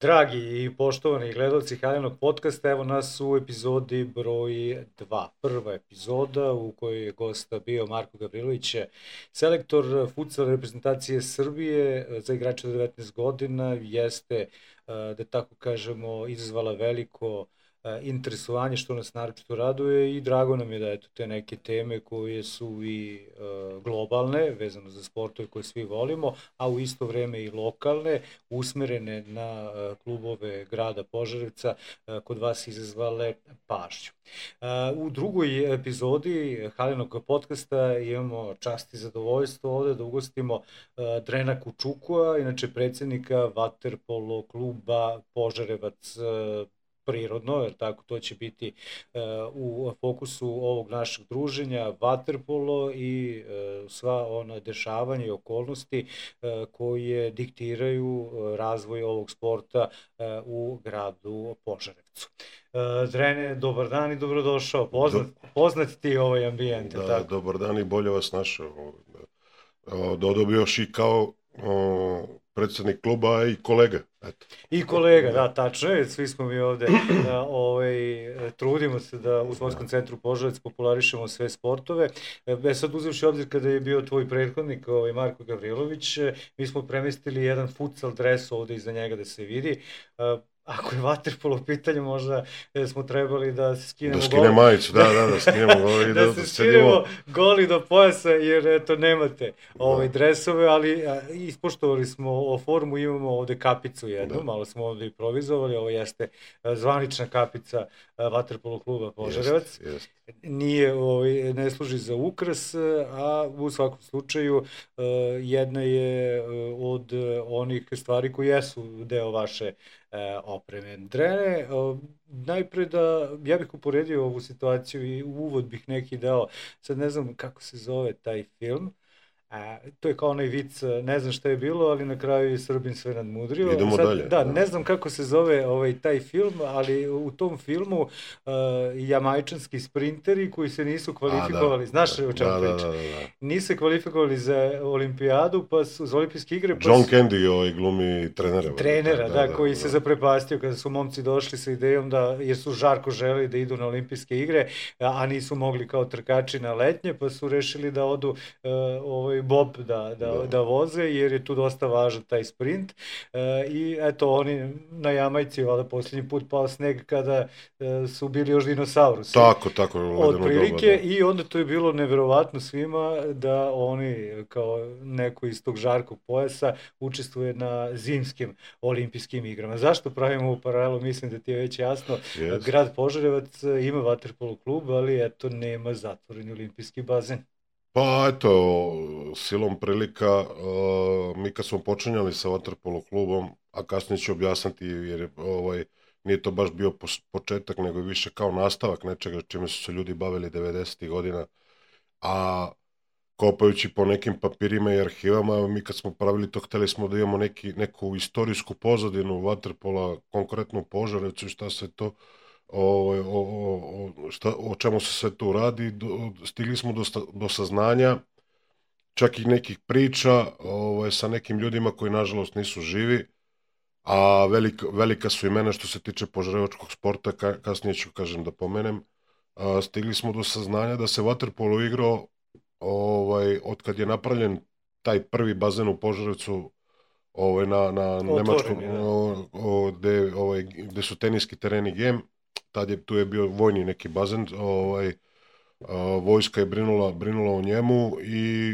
Dragi i poštovani gledalci Halinog podcasta, evo nas u epizodi broj 2. Prva epizoda u kojoj je gosta bio Marko Gavrilović, selektor futsal reprezentacije Srbije za igrače do 19 godina, jeste, da tako kažemo, izazvala veliko interesovanje, što nas naročito raduje, i drago nam je da eto te neke teme koje su i globalne, vezano za sportove koje svi volimo, a u isto vreme i lokalne, usmerene na klubove grada Požarevca, kod vas izazvale pažnju. U drugoj epizodi Halinog podcasta imamo čast i zadovoljstvo ovde da ugostimo Drena Kučukua, inače predsjednika vaterpolo kluba Požarevac prirodno, jer tako to će biti u fokusu ovog našeg druženja, vaterpolo i sva ona dešavanja i okolnosti koje diktiraju razvoj ovog sporta u gradu Požarevcu. Drene, dobar dan i dobrodošao. Poznat ti ovaj ambijent. Da, tako? Dobar dan i bolje vas našao. Dodao još i kao predsjednik kluba i kolega. Eto. I kolega, da, tačno je. Svi smo mi ovde, trudimo se da u Sportskom centru Požarevac popularišemo sve sportove. Sad uzevši obzir kada je bio tvoj prethodnik, Marko Gavrilović, mi smo premestili jedan futsal dres ovde iza njega da se vidi. Ako je vaterpolo u pitanju, možda smo trebali da se skinemo goli. Da skine majicu, da skinemo goli. Da se skinemo goli do pojasa, jer eto nemate dresove, ali ispoštovali smo formu, imamo ovde kapicu jednu, malo smo ovde improvizovali, ovo jeste zvanična kapica vaterpolo kluba Požarevac. Nije, ne služi za ukras, a u svakom slučaju jedna je od onih stvari koji jesu deo vaše opreme. Drene, najpre ja bih uporedio ovu situaciju i uvod bih neki dao, sad ne znam kako se zove taj film, to je kao onaj vic, ne znam šta je bilo, ali na kraju je Srbin sve nadmudrio. Idemo dalje. Da, ne znam kako se zove taj film, ali u tom filmu jamajčanski sprinteri koji se nisu kvalifikovali, znaš o čemu pričam? Nisu se kvalifikovali za olimpijadu, za olimpijske igre. John Candy glumi trenera. Trenera, koji se zaprepastio kada su momci došli sa idejom jer su žarko želeli da idu na olimpijske igre, a nisu mogli kao trkači na letnje, pa su rešili da odu bob da voze, jer je tu dosta važan taj sprint. I eto, oni na Jamajci, valjda posljednji put pao sneg kada su bili još dinosaurusi. Tako. Otprilike, i onda to je bilo neverovatno svima da oni, kao neko iz tog žarkog pojasa, učestvuje na zimskim olimpijskim igrama. Zašto pravimo ovu paralelu? Mislim da ti je već jasno. Grad Požarevac ima vaterpolo klub, ali eto, nema zatvoreni olimpijski bazen. Pa eto, silom prilika, mi kad smo počinjali sa vaterpolo klubom, a kasnije ću objasniti jer nije to baš bio početak, nego više kao nastavak nečega čime su se ljudi bavili 90. godina, a kopajući po nekim papirima i arhivama, mi kad smo pravili to, hteli smo da imamo neku istorijsku pozadinu vaterpola, konkretno u Požarevcu i šta se to o čemu se sve tu radi. Stigli smo do saznanja, čak i nekih priča sa nekim ljudima koji nažalost nisu živi, a velika su imena što se tiče požarevačkog sporta, kasnije ću kažem da pomenem. Stigli smo do saznanja da se vaterpolo igrao od kad je napravljen taj prvi bazen u Požarevcu na Nemačkom, gde su teniski tereni GEM. Tu je bio vojni neki bazen, vojska je brinula o njemu i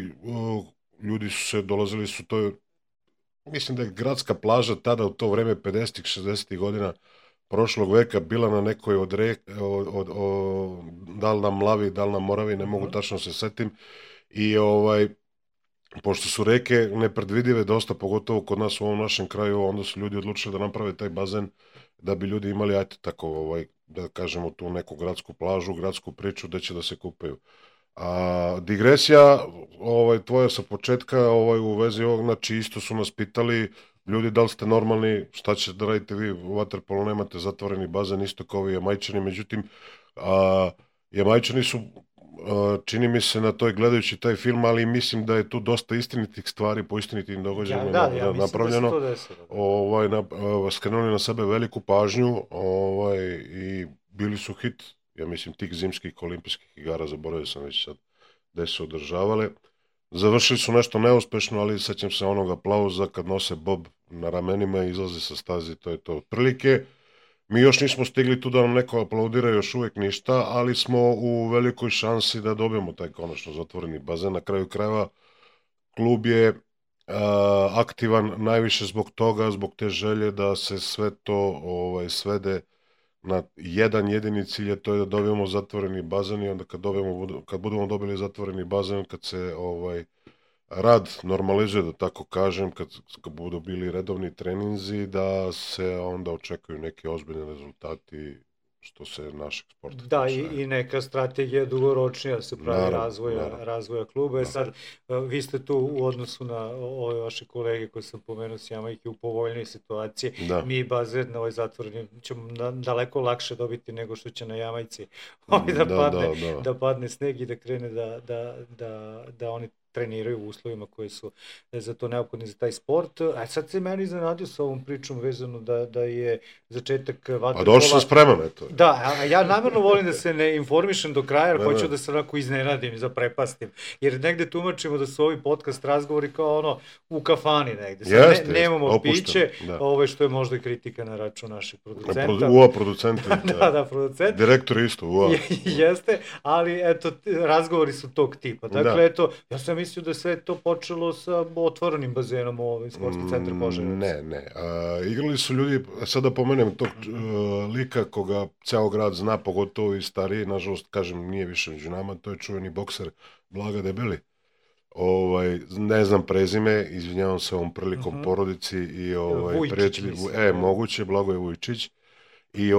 ljudi dolazili su, mislim da je gradska plaža tada u to vreme 50-ih, 60-ih godina prošlog veka bila na nekoj da li na Mlavi, da li na Moravi, ne mogu tačno se setim, i pošto su reke nepredvidive dosta, pogotovo kod nas u ovom našem kraju, onda su ljudi odlučili da naprave taj bazen da bi ljudi imali, da kažemo, tu neku gradsku plažu, gradsku priču gde će da se kupaju. Digresija tvoja sa početka u vezi ovog, znači isto su nas pitali ljudi da li ste normalni, šta ćete da radite vi u vaterpolu, nemate zatvoreni bazen, isto kao i Jamajčani, međutim Jamajčani su čini mi se na toj gledajući taj film, ali mislim da je tu dosta istinitih stvari po istinitim događajima napravljeno. Da se to desilo. Skrenuli na sebe veliku pažnju i bili su hit, ja mislim, tih zimskih olimpijskih igara, zaboravio sam već sad gde su održavale. Završili su nešto neuspešno, ali sećam se onog aplauza kad nose bob na ramenima i izlaze sa staze, to je to otprilike. Mi još nismo stigli tu da nam neko aplaudira, još uvek ništa, ali smo u velikoj šansi da dobijemo taj konačno zatvoreni bazen. Na kraju krajeva klub je aktivan najviše zbog toga, zbog te želje da se sve to svede na jedan jedini cilj, je to je da dobijemo zatvoreni bazen i onda kad budemo dobili zatvoreni bazen, kad se rad normalizuje, da tako kažem, kad budu bili redovni treninzi, da se onda očekuju neke ozbiljne rezultati što se našeg sporta tiče. Da, i neka strategija dugoročnija se pravi razvoja kluba. Sad, vi ste tu u odnosu na ove vaše kolege koje sam pomenuo s Jamajke u povoljnoj situaciji. Mi bazen na ovaj zatvoreni ćemo daleko lakše dobiti nego što će na Jamajci da padne sneg i da krene da oni treniraju u uslovima koji su za to neophodni za taj sport. A sad se meni iznenadio sa ovom pričom vezano da je začetak vaterpola... A došao sam spreman, eto. Da, a ja namerno volim da se ne informišem do kraja, jer hoću da se onako iznenadim i zaprepastim. Jer negde tumačimo da su ovi podcast razgovori kao u kafani negde. Sad nemamo piće, što je možda i kritika na račun naših producenta. UA producenti. Da, producenti. Direktor isto, UA. Jeste, ali eto, razgovori su tog tipa. Dakle, eto, ja sam mislio da sve to počelo sa otvorenim bazenom u ovim sportski centar Požarevac. Ne. Igrali su ljudi, sad da pomenem tog lika koga ceo grad zna, pogotovo i stariji, nažalost, kažem, nije više među nama, to je čuveni bokser Blaga Debeli. Ne znam prezime, izvinjavam se ovom prilikom porodici i prijatelji. Moguće, Blagoje Vujčić. I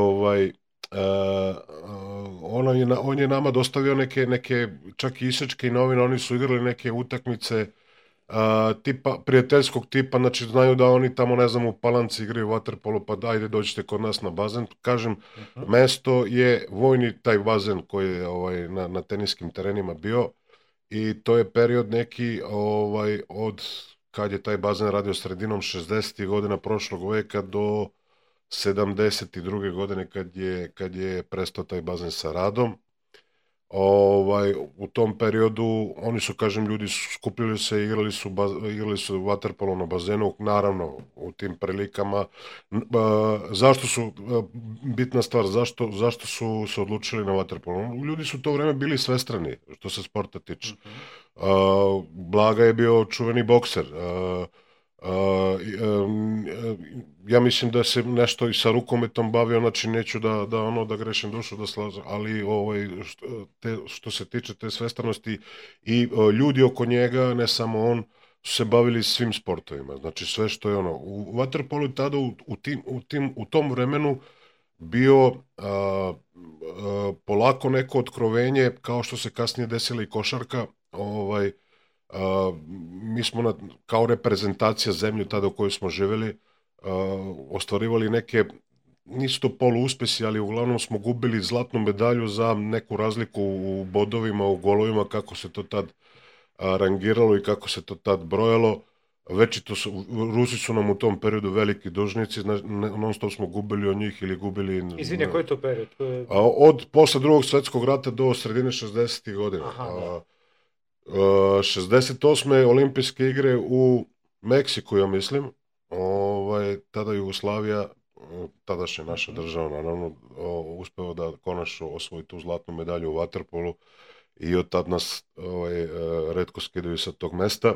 on je nama dostavio neke čak i isečke i novine, oni su igrali neke utakmice prijateljskog tipa, znači znaju da oni tamo, ne znam, u Palanci igraju vaterpolo, pa dajde dođite kod nas na bazen. Kažem, mesto je vojni taj bazen koji je na teniskim terenima bio i to je period neki od kad je taj bazen radio sredinom 60. godina prošlog veka do 72. godine kad je prestao taj bazen sa radom. U tom periodu oni su, kažem, ljudi skupili se, igrali su vaterpolo na bazenu, naravno u tim prilikama. Zašto su, bitna stvar, zašto su se odlučili na vaterpolo? Ljudi su u to vreme bili svestrani što se sporta tiče. Blaga je bio čuveni bokser. Ja mislim da se nešto i sa rukometom bavio, znači neću da grešim dušu, da slažem, ali što se tiče te svestranosti i ljudi oko njega, ne samo on, su se bavili svim sportovima, znači sve što je u vaterpolu tada u tom vremenu bio polako neko otkrovenje, kao što se kasnije desila i košarka. Mi smo kao reprezentacija zemlju tada u kojoj smo živjeli ostvarivali neke, nisu to poluuspesi, ali uglavnom smo gubili zlatnu medalju za neku razliku u bodovima, u golovima, kako se to tad rangiralo i kako se to tad brojalo. Rusi su nam u tom periodu veliki dužnici, non stop smo gubili od njih ili gubili... Izvini, koji je to period? Od posle drugog svjetskog rata do sredine 60. godina. 68. olimpijske igre u Meksiku, ja mislim, tada Jugoslavija, tadašnja naša država, naravno, uspeo da konačno osvoji tu zlatnu medalju u vaterpolu i od tad nas retko skidaju sa tog mesta.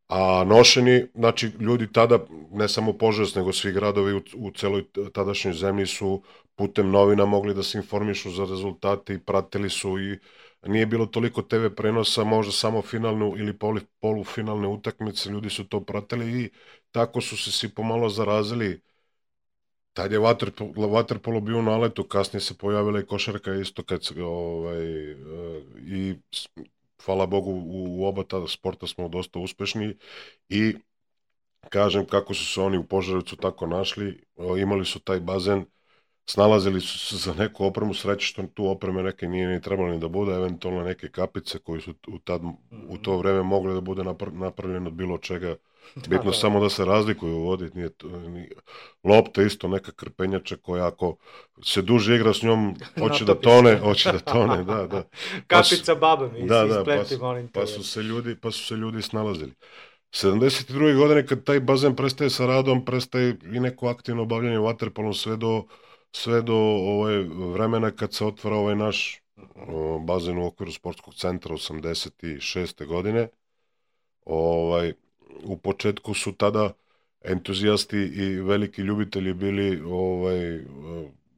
A nošeni, znači ljudi tada, ne samo Požarevac, nego svi gradovi u celoj tadašnjoj zemlji su putem novina mogli da se informišu za rezultate i pratili su i nije bilo toliko TV prenosa, možda samo finalnu ili polufinalne utakmice, ljudi su to pratili i tako su se svi pomalo zarazili. Tad je vaterpolo bio u naletu, kasnije se pojavila i košarka isto i hvala Bogu u oba ta sporta smo dosta uspešni i kažem kako su se oni u Požarevcu tako našli, imali su taj bazen snalazili su se za neku opremu, sreće što tu opreme neke nije ni trebalo ni da bude, eventualno neke kapice koje su u to vreme mogle da bude napravljeno od bilo čega. Bitno samo da se razlikuju u vodi. Lopta isto neka krpenjača koja ako se duže igra s njom, hoće da tone, da. Kapica baba mi ispleti, molim te. Pa su se ljudi snalazili. 72. godine kad taj bazen prestaje sa radom, prestaje i neko aktivno obavljanje vaterpolom sve do vremena kad se otvara ovaj naš bazen u okviru sportskog centra 86. godine. U početku su tada entuzijasti i veliki ljubitelji bili,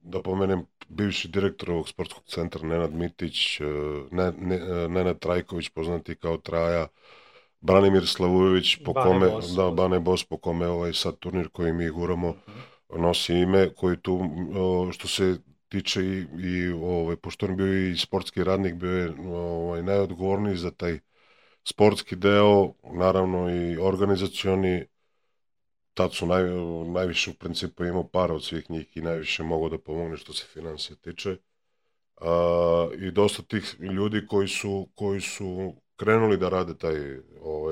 da pomenem, bivši direktor ovog sportskog centra Nenad Mitić, Nenad Trajković, poznati kao Traja, Branimir Slavujević, Bane Bos, po kome sad turnir koji mi guramo nosi ime, koji tu, što se tiče i pošto on bio i sportski radnik, bio je najodgovorniji za taj sportski deo, naravno i organizacioni. Tad su najviše u principu imao para od svih njih i najviše mogao da pomogne što se financija tiče. I dosta tih ljudi koji su krenuli da rade taj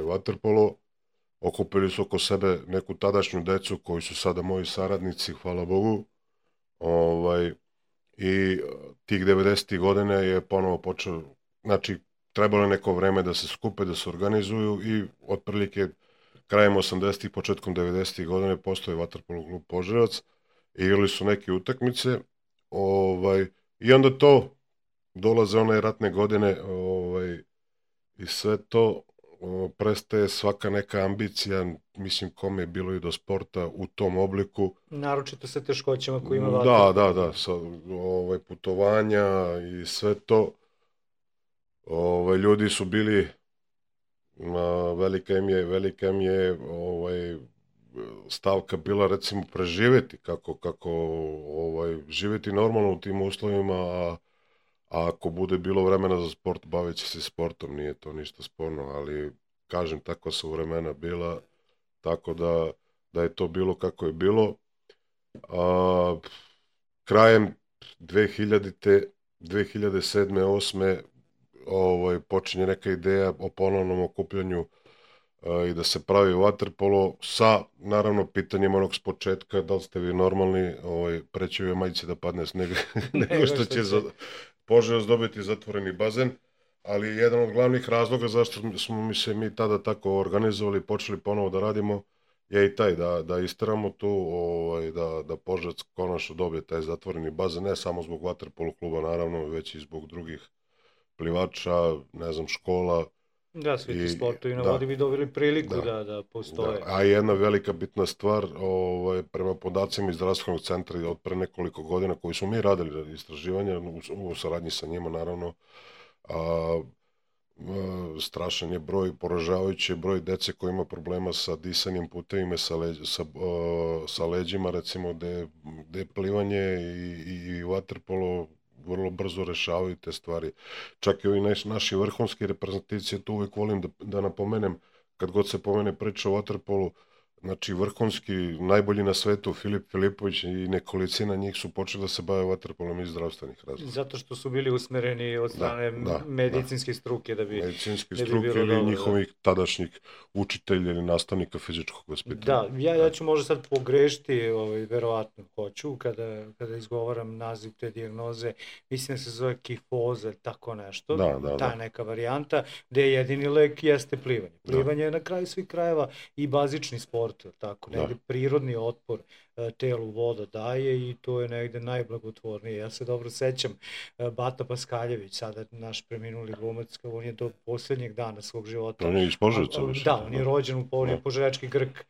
vaterpolo, okupili su oko sebe neku tadašnju decu koji su sada moji saradnici, hvala Bogu. I tih 90. godine je ponovo počeo, znači trebalo je neko vreme da se skupe, da se organizuju i otprilike krajem 80. početkom 90. godine postoje vaterpolo klub Požarevac, igrali su neke utakmice i onda to dolaze one ratne godine i sve to prestaje svaka neka ambicija, mislim kome je bilo i do sporta u tom obliku. Naročito sa teškoćama koji ima vaterpolo. Da, sa putovanja i sve to. Ljudi su bili, velika im je stavka bila recimo preživjeti, kako živjeti normalno u tim uslovima, a ako bude bilo vremena za sport, bavit će se sportom, nije to ništa sporno, ali kažem, takva su vremena bila, tako da je to bilo kako je bilo. Krajem 2000. 2007. 2008. Počinje neka ideja o ponovnom okupljanju i da se pravi vaterpolo sa, naravno, pitanjem onog s početka, da li ste vi normalni, preći je majici da padne sneg nego što će Požarevac dobiti zatvoreni bazen, ali jedan od glavnih razloga zašto smo se mi tada tako organizovali i počeli ponovo da radimo je i taj, da isteramo tu, da Požarevac konačno dobije taj zatvoreni bazen, ne samo zbog vaterpolo kluba, naravno, već i zbog drugih plivača, ne znam, škola. Da, svi ti sportovi na vodi bi dobili priliku da postoje. A jedna velika bitna stvar, prema podacima iz zdravstvenog centra od pre nekoliko godina koji smo mi radili istraživanja, u saradnji sa njima naravno, strašan je broj, poražavajući broj dece koji ima problema sa disanjem putevima, sa leđima, recimo, gde je plivanje i vaterpolo vrlo brzo rešavaju te stvari. Čak i ovi naši vrhunski reprezentativci, to uvijek volim da napomenem, kad god se pomene priča o vaterpolu, znači vrhunski, najbolji na svetu, Filip Filipović i nekolicina njih su počeli da se bave vaterpolom iz zdravstvenih razloga. Zato što su bili usmereni od strane medicinske struke da bi medicinske struke ili njihovih tadašnjih učitelja ili nastavnika fizičkog vaspitanja. Da, ja ću možda sad pogrešiti, verovatno hoću, kada izgovaram naziv te dijagnoze, mislim da se zove kifoza, tako nešto, ta neka varijanta, gde jedini lek jeste plivanje. Plivanje je na kraju svih krajeva i bazični sport, tako, negde prirodni otpor telu voda daje i to je negde najblagotvornije. Ja se dobro sećam, Bata Paskaljević, sada naš preminuli glumac, on je do posljednjeg dana svog života. On je iz Požarevca. Da, on je rođen u Požarečki Grk.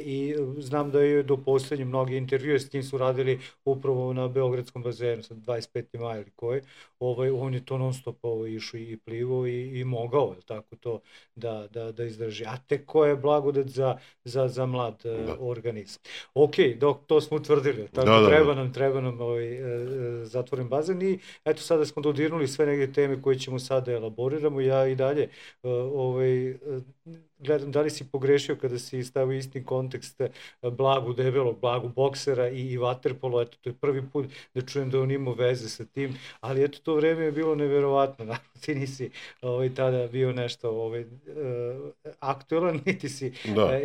I znam da je do posljednje mnogi intervjue s njim su radili upravo na Beogradskom bazenu, sad 25. maja ili koji. On je to non stop išao i plivao i mogao, tako to, da izdrži. A tek ko je blagodat za mlad organizam. Ok, dok to smo utvrdili, tako treba nam zatvoren bazen i eto sada smo dodirnuli sve neke teme koje ćemo sada elaboriramo. Ja i dalje gledam da li si pogrešio kada si stavio isti kontekst Blagu debelog, Blagu boksera i vaterpolo, eto to je prvi put da čujem da on imao veze sa tim, ali eto to vreme je bilo neverovatno, naravno ti nisi tada bio nešto aktuelan,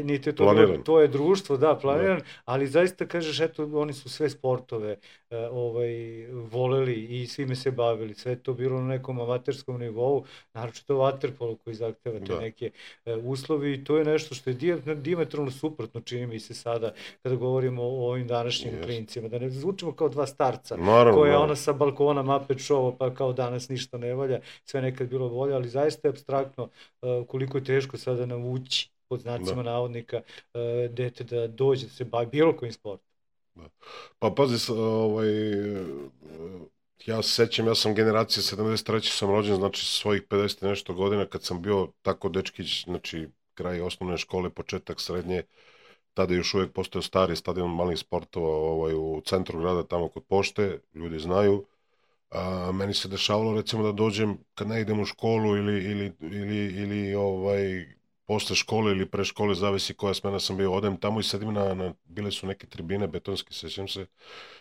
niti je to bilo tvoje društvo, da, planiran, ali zaista kažeš, eto oni su sve sportove voleli i svime se bavili, sve to bilo na nekom amaterskom nivou, naročito vaterpolo koji zahteva te neke uslovi i to je nešto što je dijametralno suprotno, čini mi se sada kada govorimo o ovim današnjim klincima, da ne zvučimo kao dva starca koja ona sa balkona Muppet Show pa kao danas ništa ne valja, sve nekad bilo volja, ali zaista je apstraktno koliko je teško sada navući pod znacima navodnika dete da dođe da se bavi bilo kojim sportom. Pa pazi, ja se sećam, ja sam generacija 73. sam rođen, znači svojih 50 nešto godina kad sam bio tako dečkić, znači kraj osnovne škole, početak srednje, tada još uvijek postojao stari stadion malih sportova u centru grada, tamo kod pošte, ljudi znaju. Meni se dešavalo recimo da dođem kad ne idem u školu ili posle škole ili pre škole, zavisi koja smena sam bio, odem tamo i sedim bile su neke tribine betonske, sećam se,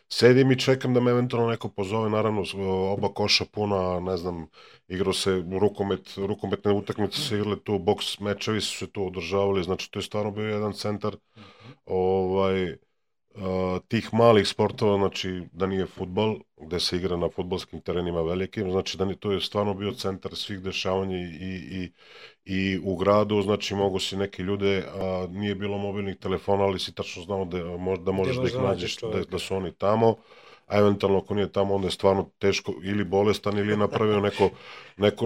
sedim i čekam da me eventualno neko pozove, naravno oba koša puna, ne znam, igrao se rukometne utakmice se igrale tu, boks mečevi su se tu održavali, znači to je stvarno bio jedan centar tih malih sportova, znači da nije fudbal, gde se igra na fudbalskim terenima velikim, znači da to je stvarno bio centar svih dešavanja i u gradu, znači mogu si neke ljude, nije bilo mobilnih telefona, ali si tačno znao da možeš da ih nađeš, da su oni tamo, a eventualno ako nije tamo, onda je stvarno teško ili bolestan ili je napravio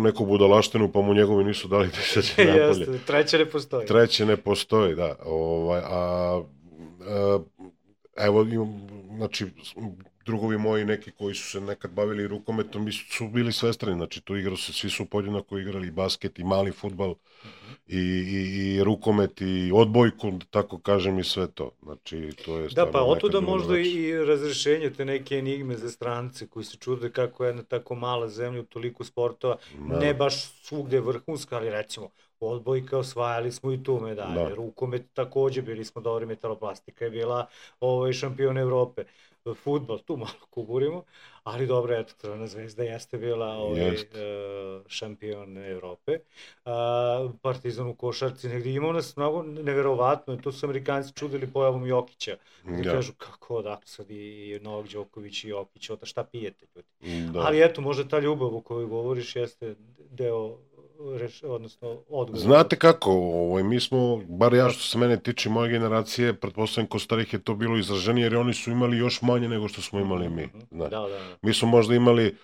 neku budalaštinu, pa mu njegovi nisu dali da izađe napolje. Treće ne postoji, da. Evo, znači, drugovi moji neki koji su se nekad bavili rukometom su bili svestrani, znači tu igrao se, svi su podjednako igrali i basket i mali fudbal i rukomet i odbojku, tako kažem, i sve to. Znači, to je da, pa otuda možda i razrešenje te neke enigme za strance koji se čude kako jedna tako mala zemlja u toliko sportova, ne baš svugde vrhunska, ali recimo odbojka, osvajali smo i tu medalje, rukomet takođe, bili smo dobri, metaloplastika je bila šampion Evrope, fudbal, tu malo kuburimo, ali dobro, eto, Crvena zvezda jeste bila šampion Evrope, Partizan u košarci, negdje imao nas mnogo neverovatno, to su Amerikanci čudili pojavom Jokića, da kažu kako odakle sad i Novak Đoković i Jokić, šta pijete ljudi, ali eto, možda ta ljubav o kojoj govoriš jeste deo odnosno odgovor. Znate kako, mi smo, bar ja što se mene tiče moje generacije, pretpostavljam kod starih je to bilo izraženije, jer oni su imali još manje nego što smo imali mi. Mi smo možda imali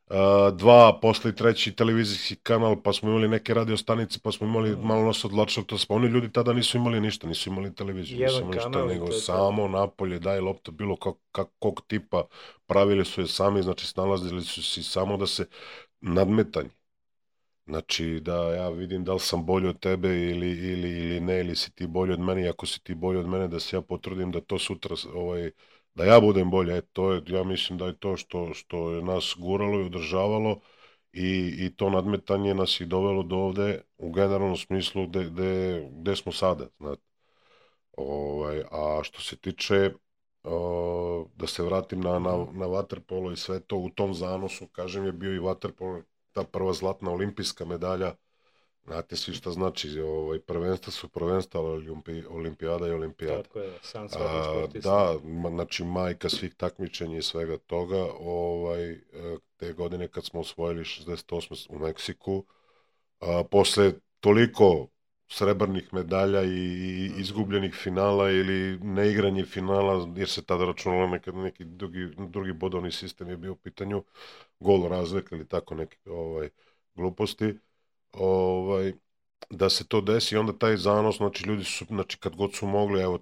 2, posle 3 televizijski kanal, pa smo imali neke radio stanice, pa smo imali malo nas odlačilo, pa oni ljudi tada nisu imali ništa, nisu imali televiziju, nisu imali ništa, nego samo napolje, daj lopta, bilo kakvog tipa, pravili su je sami, znači snalazili su se samo da se nadmetanje. Znači da ja vidim da li sam bolji od tebe ili ne, ili si ti bolji od mene, i ako si ti bolji od mene da se ja potrudim da to sutra, da ja budem bolji, ja mislim da je to što je nas guralo i održavalo i to nadmetanje nas i dovelo do ovde u generalnom smislu gde smo sada, znate. A što se tiče, da se vratim na vaterpolo i sve to, u tom zanosu, kažem, je bio i vaterpolo, ta prva zlatna olimpijska medalja, znate svi šta znači, prvenstva su prvenstva, olimpijada je olimpijada. Tako je, sam svakom sportista. Da, znači majka svih takmičenja i svega toga, te godine kad smo osvojili 68. u Meksiku, posle toliko srebrnih medalja i izgubljenih finala ili neigranje finala, jer se tada računalo neki drugi bodovni sistem je bio u pitanju, gol razlika ili tako neke gluposti, da se to desi, onda taj zanos, znači ljudi su, znači kad god su mogli, evo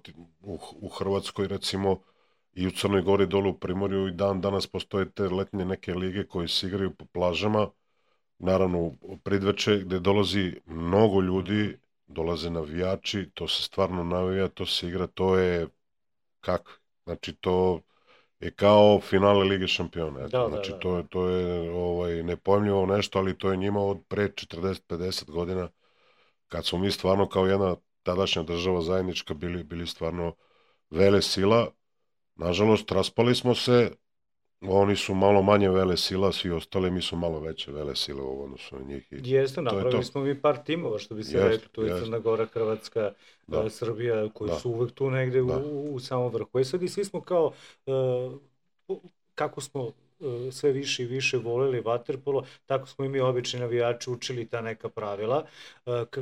u Hrvatskoj recimo i u Crnoj Gori dole u Primorju i danas postoje te letnje neke lige koje se igraju po plažama, naravno u Pridveče gde dolazi mnogo ljudi, dolaze navijači, to se stvarno navija, to se igra, to je kako, znači to je kao finale Lige šampiona, znači to je nepojmljivo nešto, ali to je njima od pre 40-50 godina kad smo mi stvarno kao jedna tadašnja država zajednička bili stvarno vele sila. Nažalost, raspali smo se, oni su malo manje vele sila, svi ostali, mi su malo veće vele sile u odnosu na njih. Jeste, napravili smo mi par timova, što bi se rekli, tu je Crna Gora, Hrvatska, Srbija, koji su uvek tu negde u samom vrhu. I sad i svi smo kao, kako smo sve više i više voleli vaterpolo, tako smo i mi obični navijači učili ta neka pravila,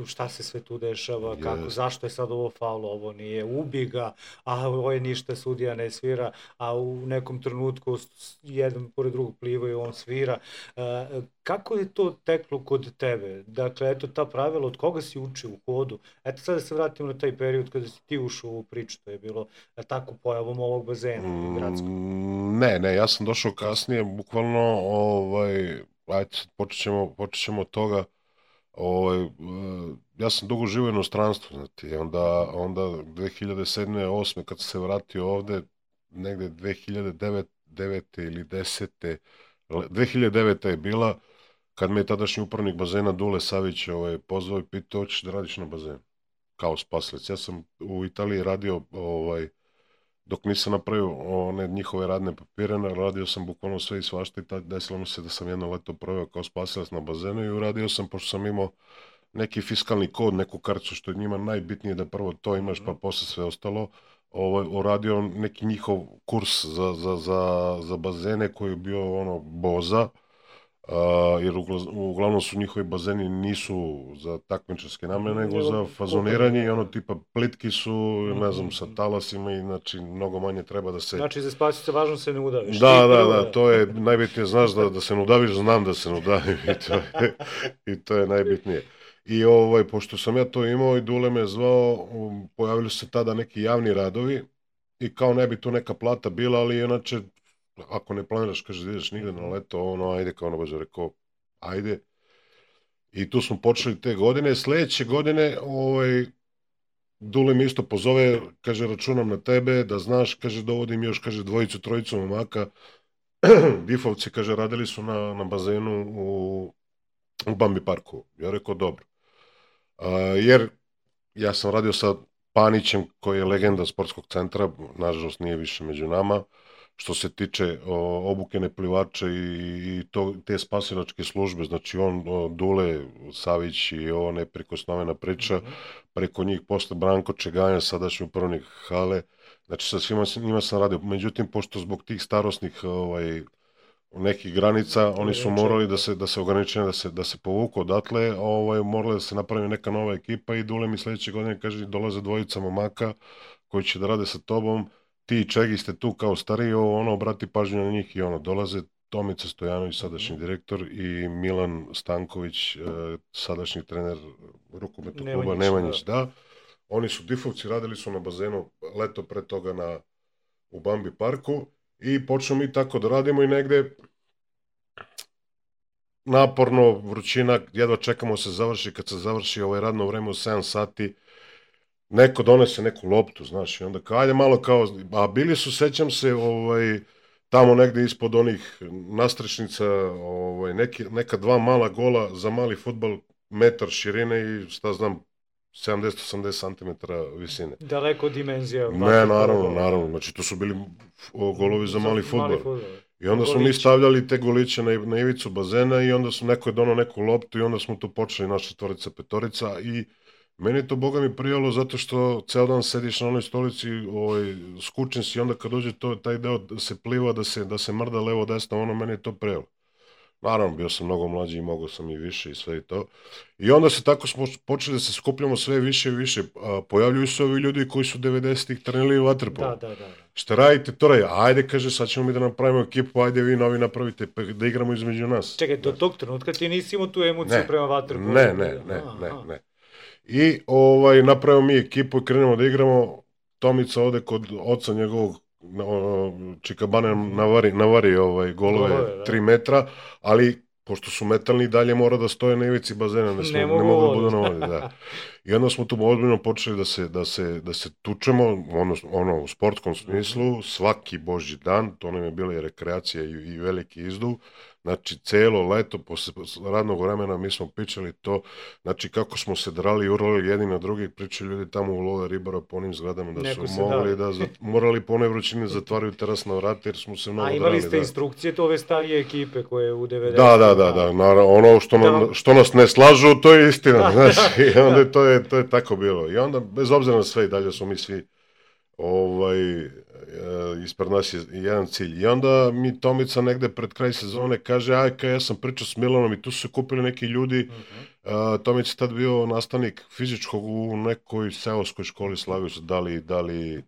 šta se sve tu dešava, kako, zašto je sad ovo faul, ovo nije, ubi ga, a ovo je ništa, sudija ne svira, a u nekom trenutku jedan pored drugog plivaju, on svira. Kako je to teklo kod tebe? Dakle, eto ta pravila, od koga si učio u hodu? Eto sad da se vratimo na taj period kada si ti ušao u ovu priču, to je bilo tako pojavom ovog bazena gradskog. Ne, ja sam došao kasnije, bukvalno, ajde, počet ćemo od toga. Ja sam dugo živio u inostranstvu, znate, onda 2007. 2008. kad sam se vratio ovde, negde 2009. ili 10. 2009. je bila, kad me je tadašnji upravnik bazena Dule Savić pozvao i pitao, hoćeš da radiš na bazenu, kao spasilac. Ja sam u Italiji radio, dok nisam napravio one njihove radne papire, radio sam bukvalno sve i svašta i desilo mi se da sam jedno leto proveo kao spasilac na bazenu i uradio sam, pošto sam imao neki fiskalni kod, neku karticu, što je njima najbitnije da prvo to imaš, pa posle sve ostalo, uradio neki njihov kurs za bazene koji je bio boza, jer uglavnom su njihovi bazeni nisu za takmičarske namene, nego za fazoniranje i tipa plitki su, ne znam, sa talasima i znači mnogo manje treba da se... Znači za spasice važno se ne udaviš. Da, to je najbitnije, znaš da se ne udaviš, znam da se ne udavim i to je najbitnije. I pošto sam ja to imao i Dule me zvao, pojavili su se tada neki javni radovi i kao ne bi tu neka plata bila, ali inače ako ne planiraš, kaže, da ideš nigde na leto, ajde, kao baš rekao, ajde. I tu smo počeli te godine. Sledeće godine, Dule mi isto pozove, kaže, računam na tebe, da znaš, kaže, dovodim još, kaže, dvojicu, trojicu momaka. Difovci, kaže, radili su na bazenu u Bambi parku. Ja rekao, dobro. Jer ja sam radio sa Panićem, koji je legenda sportskog centra, nažalost nije više među nama, što se tiče obuke neplivača i te spasilačke službe, znači on, Dule Savić i ovo neprikosnovena priča, preko njih posle Branko Čeganja, sadašnji upravnik hale, znači sa svima njima sam radio. Međutim, pošto zbog tih starosnih nekih granica, oni su morali da se ograničenja, da se povuku odatle, morala da se napravi neka nova ekipa i Dule mi sledeće godine kaže, dolaze dvojica momaka koji će da rade sa tobom, ti i Čegi ste tu kao stariji, obrati pažnju na njih i dolaze Tomica Stojanović, sadašnji direktor, i Milan Stanković, sadašnji trener rukometnog kluba Nemanjić, da. Oni su Difovci, radili su na bazenu leto pre toga u Bambi parku i počnemo mi tako da radimo i negde naporno, vrućina, jedva čekamo se završi, kad se završi radno vreme u 7 sati, neko donese neku loptu, znaš, i onda kao, ajde malo kao, a bili su, sećam se, tamo negde ispod onih nastrešnica, neka dva mala gola za mali fudbal, metar širine i, šta znam, 70-80 cm visine. Daleko od dimenzija. Ne, naravno, znači to su bili golovi za mali fudbal. I onda smo mi stavljali te goliće na ivicu bazena i onda neko je donao neku loptu i onda smo tu počeli naša četvorica, petorica i meni je to, boga mi, prijalo zato što ceo dan sediš na onoj stolici, skučen si i onda kad dođe taj deo da se pliva, da se mrda levo desno, meni je to prijalo. Naravno, bio sam mnogo mlađi i mogao sam i više i sve i to. I onda se tako smo počeli da se skupljamo sve više i više. Pojavljuju se ovi ljudi koji su 90-ih trenili vaterpolo. Da. Šta radite, to radi? Ajde, kaže, sad ćemo mi da napravimo ekipu, ajde vi novi napravite, da igramo između nas. Čekaj, do tog trenutka ti nisi imao tu emociju prema vaterpolu? Ne. I napravimo mi ekipu i krenemo da igramo. Tomica ode kod oca njegovog, Čikabane navari golove 3 metra, ali pošto su metalni dalje mora da stoje na ivici bazena, ne mogu da budu na vodi, da. I onda smo tu ozbiljno počeli da se tučemo, u sportskom smislu, svaki božji dan, to nam je bila i rekreacija i veliki izduv, Znači, celo leto, posle radnog vremena, mi smo pričali to, znači, kako smo se drali i urlali jedni na drugi, pričali ljudi tamo u Love Ribara po onim zgradama, da Neko su se mogli dali. morali po onoj vrućini zatvaraju terasna vrata, jer smo se mnogo A drali. imali ste instrukcije to ove starije ekipe koje u 90. Da, naravno, ono što nas ne slažu, to je istina, znači, i onda to je tako bilo. I onda, bez obzira na sve, i dalje smo mi svi, ispred nas je jedan cilj. I onda mi Tomica negde pred kraj sezone kaže, ja sam pričao s Milanom i tu su se kupili neki ljudi. Tomica je tad bio nastavnik fizičkog u nekoj seoskoj školi, slavio se, da li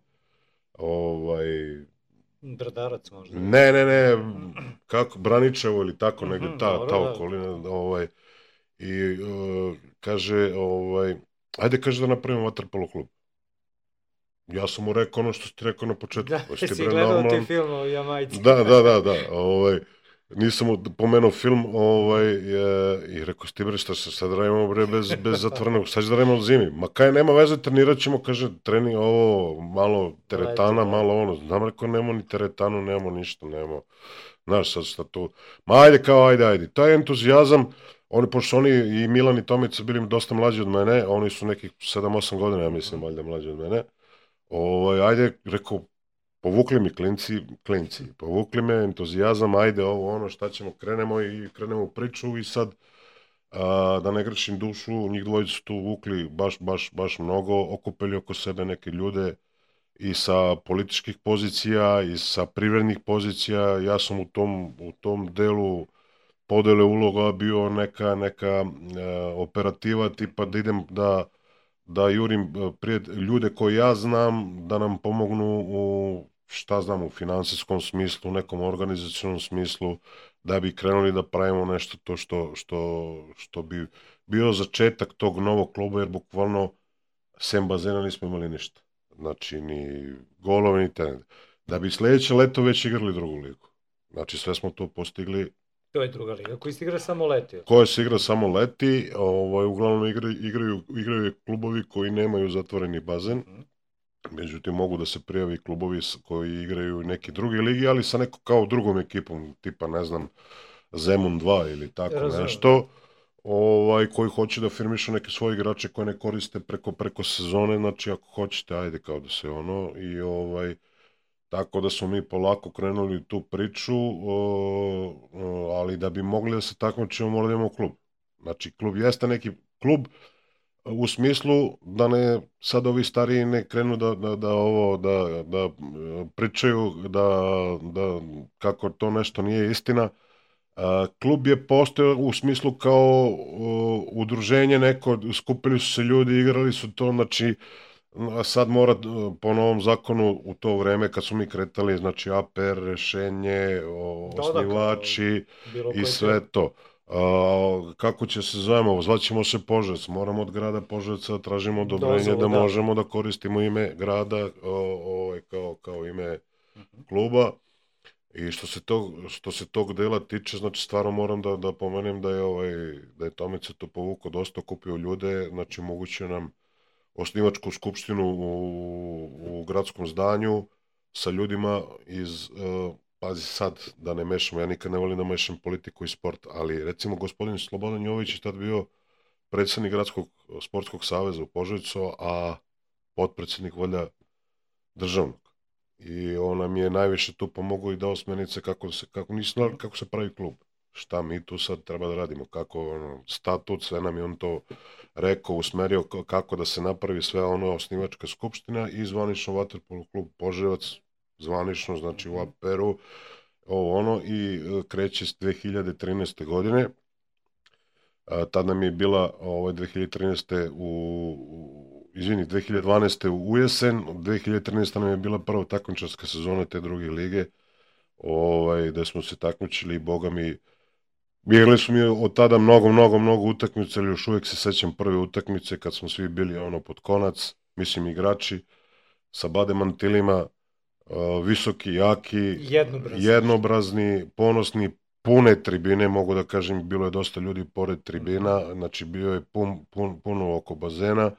Brdarac možda. Ne, kako, Braničevo ili tako, negde ta okolina, i kaže, ajde, kaže da napravimo vaterpolo klub. Ja sam mu rekao ono što si ti rekao na početku. Da, si gledao ti film o Jamajci. Da. Nisam mu pomenuo film i rekao, sti bre, šta se sad radimo bre bez zatvornog, sad će da radimo zimi. Ma kaj, nema veze, trenirat ćemo, kaže, trening ovo, malo teretana, malo ono. Znam, rekao, nemamo ni teretanu, nemamo ništa, nemamo. Znaš, sad šta tu. Ma ajde. Taj entuzijazam, pošto oni i Milan i Tomica bili dosta mlađi od mene, oni su nekih 7-8 godina, ja mislim, valjda mlađi od mene. Ajde, rekao, povukli mi klinci, povukli me, entuzijazam, ajde ovo, šta ćemo, krenemo u priču i sad, da ne grešim dušu, njih dvojica su tu vukli baš mnogo, okupili oko sebe neke ljude i sa političkih pozicija i sa privrednih pozicija. Ja sam u tom delu podele uloga bio neka operativa, tipa da idem da jurim ljude koje ja znam, da nam pomognu u finansijskom smislu, u nekom organizacionom smislu, da bi krenuli da pravimo nešto to što bi bio začetak tog novog kluba, jer bukvalno sem bazena nismo imali ništa. Znači, ni golove, ni tenet. Da bi sledeće leto već igrali drugu ligu. Znači, sve smo to postigli. To je druga liga, koji se igra samo leti. Koja se igra samo leti, uglavnom igraju klubovi koji nemaju zatvoreni bazen, međutim mogu da se prijavi klubovi koji igraju neke druge ligi, ali sa nekom kao drugom ekipom, tipa, ne znam, Zemun 2 ili tako nešto, koji hoće da firmišu neke svoje igrače koje ne koriste preko sezone, znači ako hoćete, ajde kao da se i tako da smo mi polako krenuli tu priču, ali da bi mogli da se takmičimo, moramo da imamo klub. Znači, klub jeste neki klub u smislu da ne sad ovi stariji ne krenu da pričaju da kako to nešto nije istina. Klub je postojao u smislu kao udruženje neko, skupili su se ljudi, igrali su to, znači sad mora po novom zakonu u to vreme kad smo mi kretali, znači APR, rešenje, osnivači i sve to. Kako će se zovemo, zvaćemo se Požarevac, moramo od grada Požarevca da tražimo odobrenje da možemo da koristimo ime grada kao ime kluba. I što se tog dela tiče, znači stvarno moram da pomenem da je Tomica to povukao, dosta okupio ljude, znači moguće nam osnivačku skupštinu u gradskom zdanju sa ljudima iz, pazi sad da ne mešamo, ja nikad ne volim da mešam politiku i sport, ali recimo gospodin Slobodan Jović je tad bio predsednik Gradskog sportskog saveza u Požarevcu, a potpredsednik valjda državnog. I on nam je najviše tu pomogao i dao smjernice kako se pravi klub. Šta mi tu sad treba da radimo, kako statut, sve nam je on to rekao, usmerio kako da se napravi sve osnivačka skupština i zvanično vaterpolo klub Požarevac, zvanično, znači u APR-u, i kreće s 2013. godine. Tad nam je bila 2012. u jesen, 2013. nam je bila prva takmičarska sezona te druge lige, gde smo se takmičili i boga mi, igrali smo mi od tada mnogo utakmice, ali još uvijek se sećam prve utakmice kad smo svi bili pod konac, mislim igrači, sa bade mantilima, visoki, jaki, jednobrazni, ponosni, pune tribine, mogu da kažem, bilo je dosta ljudi pored tribina, znači bio je puno oko bazena,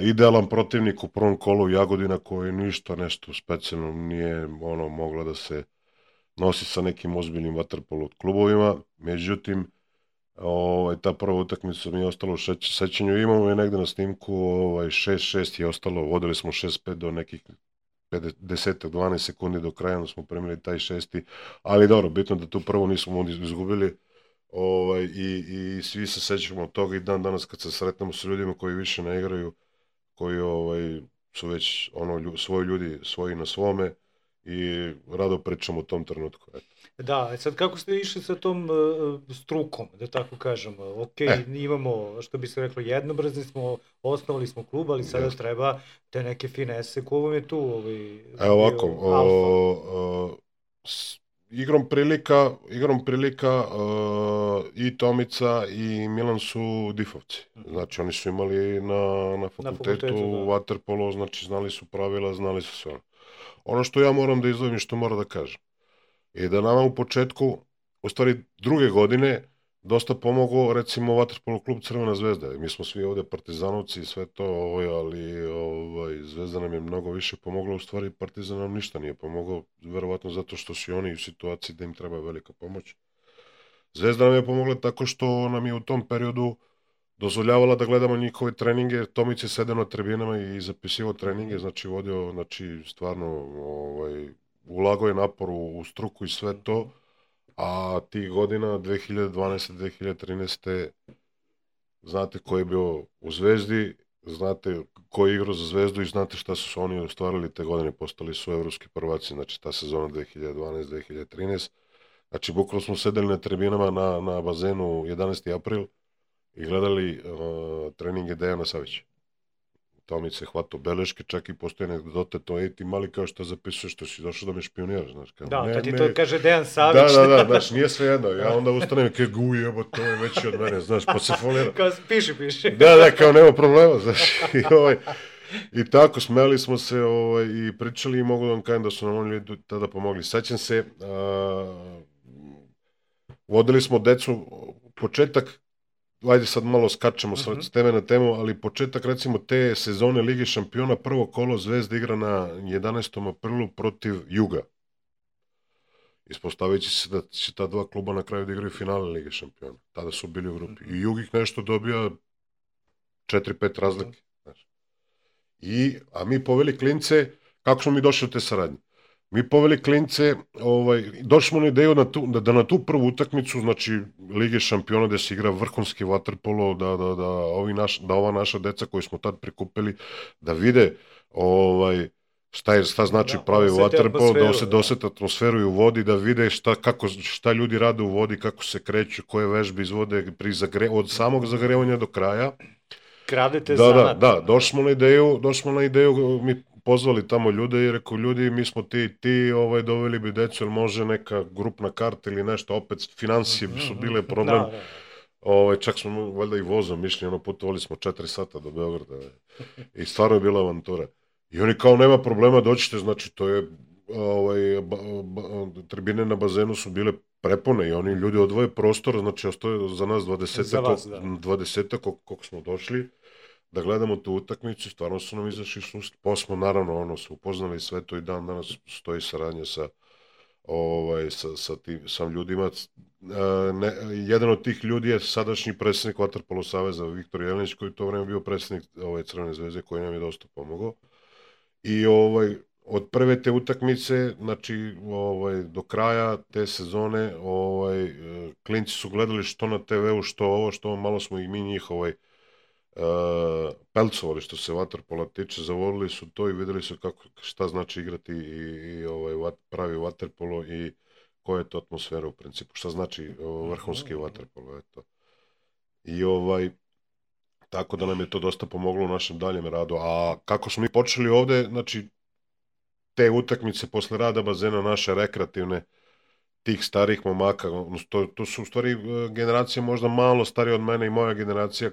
idealan protivnik u prvom kolu Jagodina koji ništa nešto specijalno nije mogla nosi sa nekim ozbiljnim vaterpolo klubovima, međutim, ta prva utakmica mi je ostalo u sećanju, imamo je negde na snimku, 6-6 je ostalo, vodili smo 6-5 do nekih 10-12 sekundi do kraja, onda smo premili taj šesti, ali dobro, bitno da tu prvo nismo izgubili, i svi se sećamo toga i dan danas kad se sretnemo sa ljudima koji više ne igraju, koji su već svoji ljudi, svoji na svome i rado pričamo o tom trenutku. Eto. Da, sad kako ste išli sa tom strukom, da tako kažem, ok, imamo, što bi se reklo, jednobrazni smo, osnovali smo klub, ali sada treba te neke finese, ko vam je tu Evo ovako, igrom prilika i Tomica i Milan su difovci. Znači oni su imali na fakultetu vaterpolo, znači znali su pravila, znali su sve ono. Ono što ja moram da izdvojim i što moram da kažem je da nama u početku, u stvari druge godine, dosta pomogao recimo vaterpolo klub Crvena zvezda. Mi smo svi ovde partizanovci i sve to, ali Zvezda nam je mnogo više pomogla, u stvari Partizan nam ništa nije pomogao, verovatno zato što su oni u situaciji da im treba velika pomoć. Zvezda nam je pomogla tako što nam je u tom periodu dozvoljavala da gledamo njihove treninge, Tomić je sedeo na tribinama i zapisivao treninge, znači vodio, znači stvarno ulagao je napor u struku i sve to, a tih godina 2012. 2013. znate ko je bio u Zvezdi, znate ko je igrao za Zvezdu i znate šta su oni ostvarili te godine, postali su evropski prvaci, znači ta sezona 2012-2013. Znači bukvalno smo sedeli na tribinama na bazenu 11. april i gledali treninge Dejana Savića. Tomić se hvatao beleške, čak i postoje anegdote, to je ti mali kao što zapisuješ, što si došao da me špioniraš, znaš. Da, to ti to kaže Dejan Savić. Da, znaš, nije sve jedno, ja onda ustanem i jebo, to je veći od mene, znaš, pa se folira. Kao piši. Da, kao nema problema, znaš, i tako, smeli smo se i pričali i mogu da vam kažem da su nam oni tada pomogli. Sećam se, vodili smo decu, početak, ajde sad malo skačemo s teme na temu, ali početak recimo te sezone Lige šampiona, prvo kolo Zvezda igra na 11. aprilu protiv Juga. Ispostavit će se da će ta dva kluba na kraju da igraju finale Lige šampiona. Tada su bili u grupi. I Jug ih nešto dobija 4-5 razlike. A mi poveli klince, kako smo mi došli u te saradnje? Mi poveli klince, došli smo na ideju da na tu prvu utakmicu, znači Lige šampiona gde se igra vrhunski vaterpolo, da ova naša deca koju smo tad prikupili, da vide šta znači pravi vaterpolo, da osete atmosferu i u vodi, da vide šta ljudi rade u vodi, kako se kreću, koje vežbe izvode od samog zagrevanja do kraja. Kradete zanat. Da, došli smo na ideju, mi pozvali tamo ljude i rekao, ljudi, mi smo ti, doveli bi decu, jer može neka grupna karta ili nešto, opet financije su bile problem. Čak smo valjda i vozom išli, putovali smo 4 sata do Beograda i stvarno je bila avantura. I oni kao, nema problema, dođite, znači to je, tribine na bazenu su bile prepune i oni ljudi odvoje prostor, znači ostaje za nas 20 koliko smo došli da gledamo tu utakmicu, stvarno su nam izašli susret, pa smo naravno se upoznali sve to i dan danas stoji saradnja sa ljudima. Jedan od tih ljudi je sadašnji predsjednik Vaterpolo saveza Viktor Jelenić, koji to vreme bio predsjednik Crvene zvezde, koji nam je dosta pomogao. I od prve te utakmice, znači do kraja te sezone, klinci su gledali što na TV-u, što malo smo i mi njih pelcovali što se vaterpola tiče, zavolili su to i videli su šta znači igrati i pravi vaterpolo i koja je to atmosfera u principu, šta znači vrhunski vaterpolo, eto. I tako da nam je to dosta pomoglo u našem daljem radu. A kako smo mi počeli ovde, znači te utakmice posle rada bazena naše rekreativne, tih starih momaka, to su u stvari generacije možda malo starije od mene i moja generacija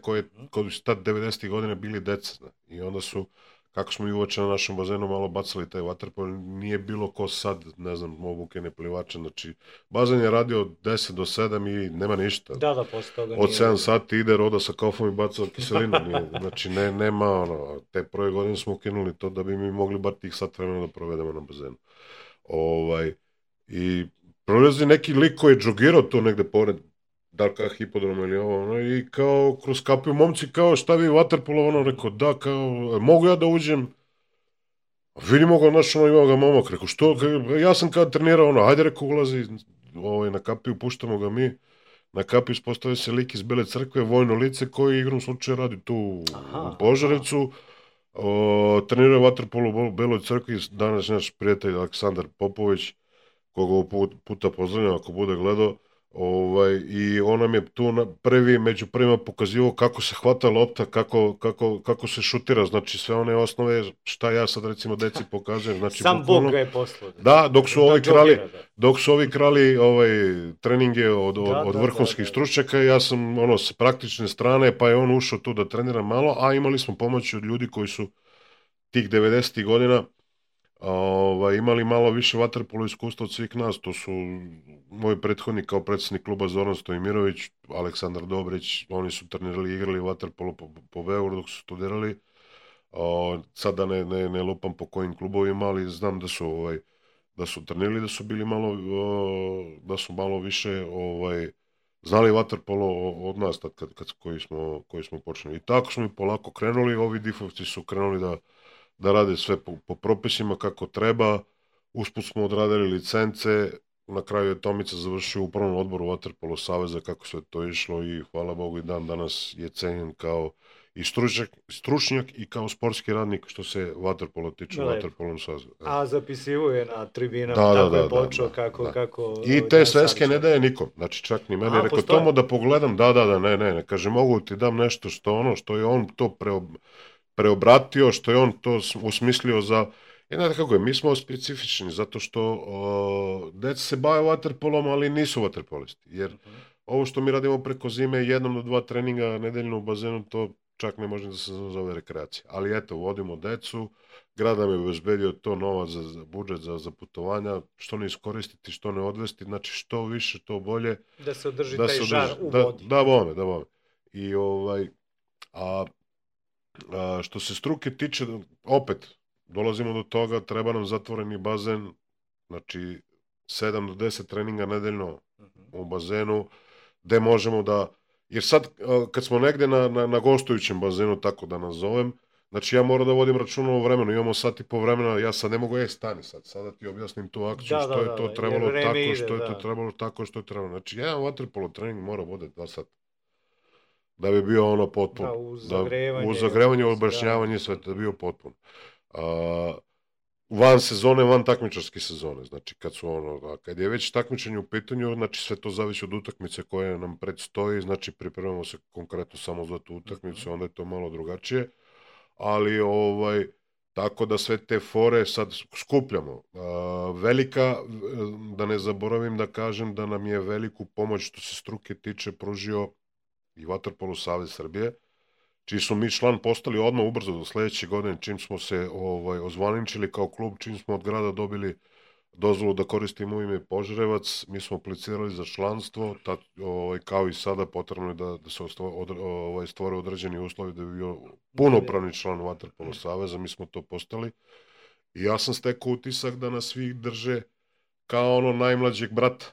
koji su tad 90. godine bili deca. I onda su, kako smo i uoče na našem bazenu malo bacali taj vaterpolo, nije bilo ko sad, ne znam, obuke, ne plivače, znači bazen je radio od 10 do 7 i nema ništa. Da, posle toga od 7 sati ide Roda sa kaufom i bacao kiselinu, znači nema te prve godine smo ukinuli to da bi mi mogli bar tih sat vremena da provedemo na bazenu. I prolazi neki lik koji je džogirao to negde pored, da li kao hipodroma ili ovo, ono, i kao kroz kapiju momci, kao šta vi vaterpolo, ono, rekao, da, kao, mogu ja da uđem, vidimo ga, znaš, ono, ima ga momak, rekao, što, ja sam kad trenirao, ono, ajde, rekao, ulazi, na kapiju, puštamo ga mi, na kapiju ispostavio se lik iz Bele crkve, vojno lice, koji igrom slučaja radi tu u Požarevcu, trenirao je vaterpolo u Beloj crkvi, danas naš prijatelj Aleksandar Popović, koga ovog puta pozdravljam ako bude gledao, i on nam je tu među prvima pokazivao kako se hvata lopta, kako se šutira, znači sve one osnove, šta ja sad recimo deci pokazujem, znači sam bukvalno, Bog ga je poslao. Da, dok su ovi krali treninge od vrhunskih stručnjaka, ja sam s praktične strane, pa je on ušao tu da trenira malo, a imali smo pomoć od ljudi koji su tih 90. godina imali malo više vaterpolo iskustva od svih nas. To su moji prethodni kao predsjednik kluba Zoran Stojimirović, Aleksandar Dobrić, oni su trenirali i igrali vaterpolo po Beogradu dok su studirali. Sad da ne lupam po kojim klubovima, ali znam da su trenirali, da su bili malo malo više znali vaterpolo od nas koji smo počeli. I tako smo i polako krenuli, ovi difovci su krenuli da rade sve po propisima kako treba, usput smo odradili licence, na kraju je Tomica završio u upravnom odboru Vaterpolo saveza, kako sve to išlo, i hvala Bogu i dan danas je cenjen kao i stručnjak i kao sportski radnik što se vaterpolo tiče, Vaterpolom saveza. A zapisivo je na tribinama, tako je počeo kako... I te sveske ne daje nikom, znači čak ni meni, rekao Tomo da pogledam, ne, kaže mogu ti dam nešto što je on to preobratio, što je on to usmislio za... Znate kako je, mi smo specifični, zato što deca se bave vaterpolom, ali nisu vaterpolisti, jer ovo što mi radimo preko zime, 1 do 2 treninga nedeljno u bazenu, to čak ne može da se zove rekreacija. Ali eto, vodimo decu, grad nam je obezbedio to novac za budžet za putovanja, što ne iskoristiti, što ne odvesti, znači što više, to bolje. Da se održi taj žar u vodi. Da, bome. I što se struke tiče, opet, dolazimo do toga, treba nam zatvoreni bazen, znači 7 do 10 treninga nedeljno u bazenu, gde možemo da, jer sad kad smo negde na gostujućem bazenu, tako da nazovem, znači ja moram da vodim računa o vremenu, imamo sat i po vremena, ja sad ne mogu, stani sad, sada ti objasnim tu akciju, što je to trebalo tako, što je to trebalo tako, što je trebalo, znači jedan vaterpolo trening mora bude 2 sata. Da bi bio potpuno. U zagrevanju, obrašnjavanje, sve da bi bio potpuno. Van sezone, van takmičarske sezone, znači kad je već takmičenje u pitanju, znači sve to zavisi od utakmice koje nam predstoji, znači pripremamo se konkretno samo za tu utakmicu, onda je to malo drugačije, ali tako da sve te fore sad skupljamo. Velika, da ne zaboravim da kažem da nam je veliku pomoć što se struke tiče pružio i Vaterpolo savez Srbije, čiji smo mi član postali odmah ubrzo do sledeće godine, čim smo se ozvaničili kao klub, čim smo od grada dobili dozvolu da koristimo ime Požarevac, mi smo aplicirali za članstvo, kao i sada potrebno je da se stvore određeni uslovi da bi bio punopravni član Vaterpolo saveza, mi smo to postali i ja sam stekao utisak da nas svi drže kao najmlađeg brata.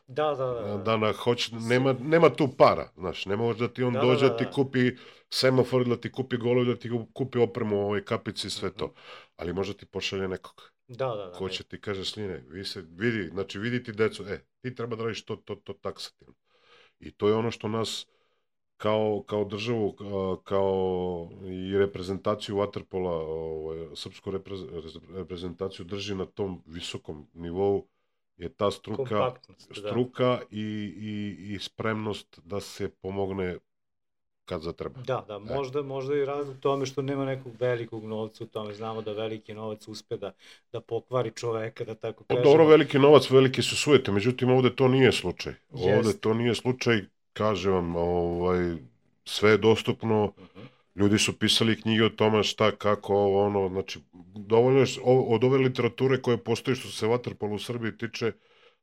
Nema tu para, znaš, ne može da ti on dođe da ti kupi semafor, da ti kupi golov, da ti kupi opremu, kapici i sve to. Ali možda ti pošalje nekog. Ko će ti kaže, sline, vidi ti decu, ti treba da radiš to taksativno. I to je ono što nas kao državu, kao i reprezentaciju vaterpola, srpsku reprezentaciju drži na tom visokom nivou, je ta struka i spremnost da se pomogne kad zatreba. Da, možda i razlog tome što nema nekog velikog novca u tome. Znamo da veliki novac uspe da pokvari čoveka, da tako kažemo. Dobro, veliki novac, velike su sujete, međutim ovde to nije slučaj. Ovde to nije slučaj, kažem vam, sve je dostupno, ljudi su pisali knjige o tome šta, kako, znači, dovoljno je od ove literature koje postoji što se vaterpolo u Srbiji tiče,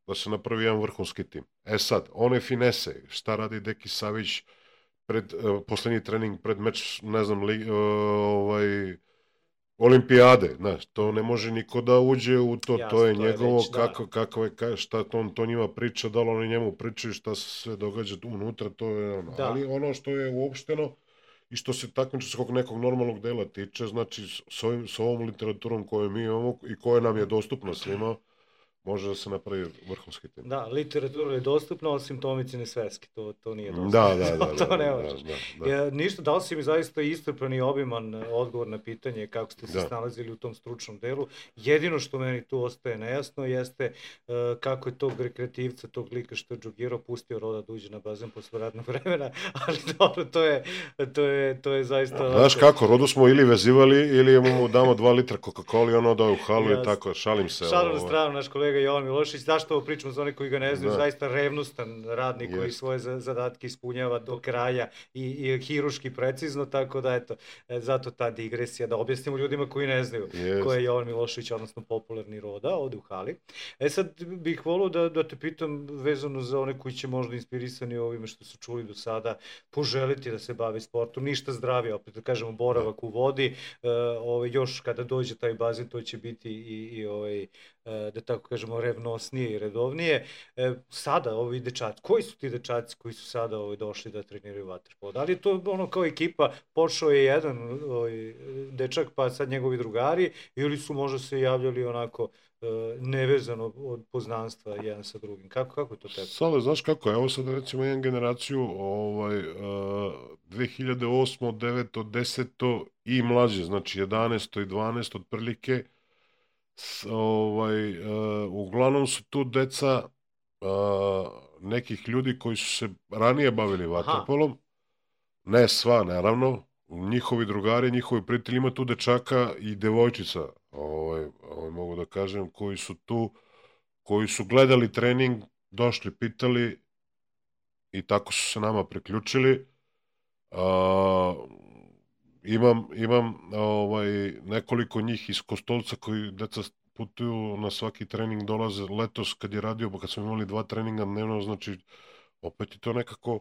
da se napravi jedan vrhunski tim. Sad, one finese, šta radi Deki Savić pred poslednji trening, pred meč, ne znam, olimpijade, znaš, to ne može niko da uđe u to, Jasno, to je to je njegovo, već, da. šta to njima priča, da li oni njemu pričaju, šta se sve događa unutra, to je ono. Da. Ali ono što je uopšteno i što se takmičarskog nekog normalnog dela tiče, znači s ovom literaturom koju mi imamo i koja nam je dostupna svima, može da se napravi vrhunski tim. Da, literatura je dostupna, osim Tomicine sveske, to nije dostupno. To ne možeš. Ništa, dao si mi zaista iscrpan i obiman odgovor na pitanje kako ste se snalazili u tom stručnom delu. Jedino što meni tu ostaje nejasno jeste kako je tog rekreativca, tog lika što je džogirao, pustio Roda da uđe na bazen posle radnog vremena, ali dobro, to je zaista... Znaš kako, Rodu smo ili vezivali, ili mu damo 2 litra Coca-Cola i ono da u halu i tako, šalim se. Šalim na stranu, naš kolega Jovan Milošević, zašto ovo pričamo za one koji ga ne znaju, zaista revnostan radnik koji svoje zadatke ispunjava do kraja i hiruški precizno, tako da eto, zato ta digresija, da objasnimo ljudima koji ne znaju ko je Jovan Milošević, odnosno popularni Roda, ovde u hali. Sad bih volao da te pitam vezano za one koji će možda inspirisani ovime što su čuli do sada, poželiti da se bave sportom, ništa zdravije, opet da kažemo boravak u vodi, još kada dođe taj bazen to će biti i da tako kažemo revnosnije i redovnije. Sada ovi dečaci, koji su ti dečaci koji su sada došli da treniraju vaterpolo? Da li je to ono kao ekipa, počeo je jedan dečak pa sad njegovi drugari ili su možda se javljali onako nevezano od poznanstva jedan sa drugim? Kako je to tebe? Sale, znaš kako, evo sad recimo jedan generaciju 2008, 9, 10 i mlađe, znači 11 i 12 otprilike, uglavnom su tu deca nekih ljudi koji su se ranije bavili vaterpolom, ne sva naravno, njihovi drugari, njihovi prijatelji, ima tu dečaka i devojčica, mogu da kažem, koji su tu, koji su gledali trening, došli, pitali i tako su se nama priključili. Imam nekoliko njih iz Kostolca koji deca putuju na svaki trening, dolaze letos kad je radio, pa kad smo imali 2 treninga dnevno, znači opet je to nekako,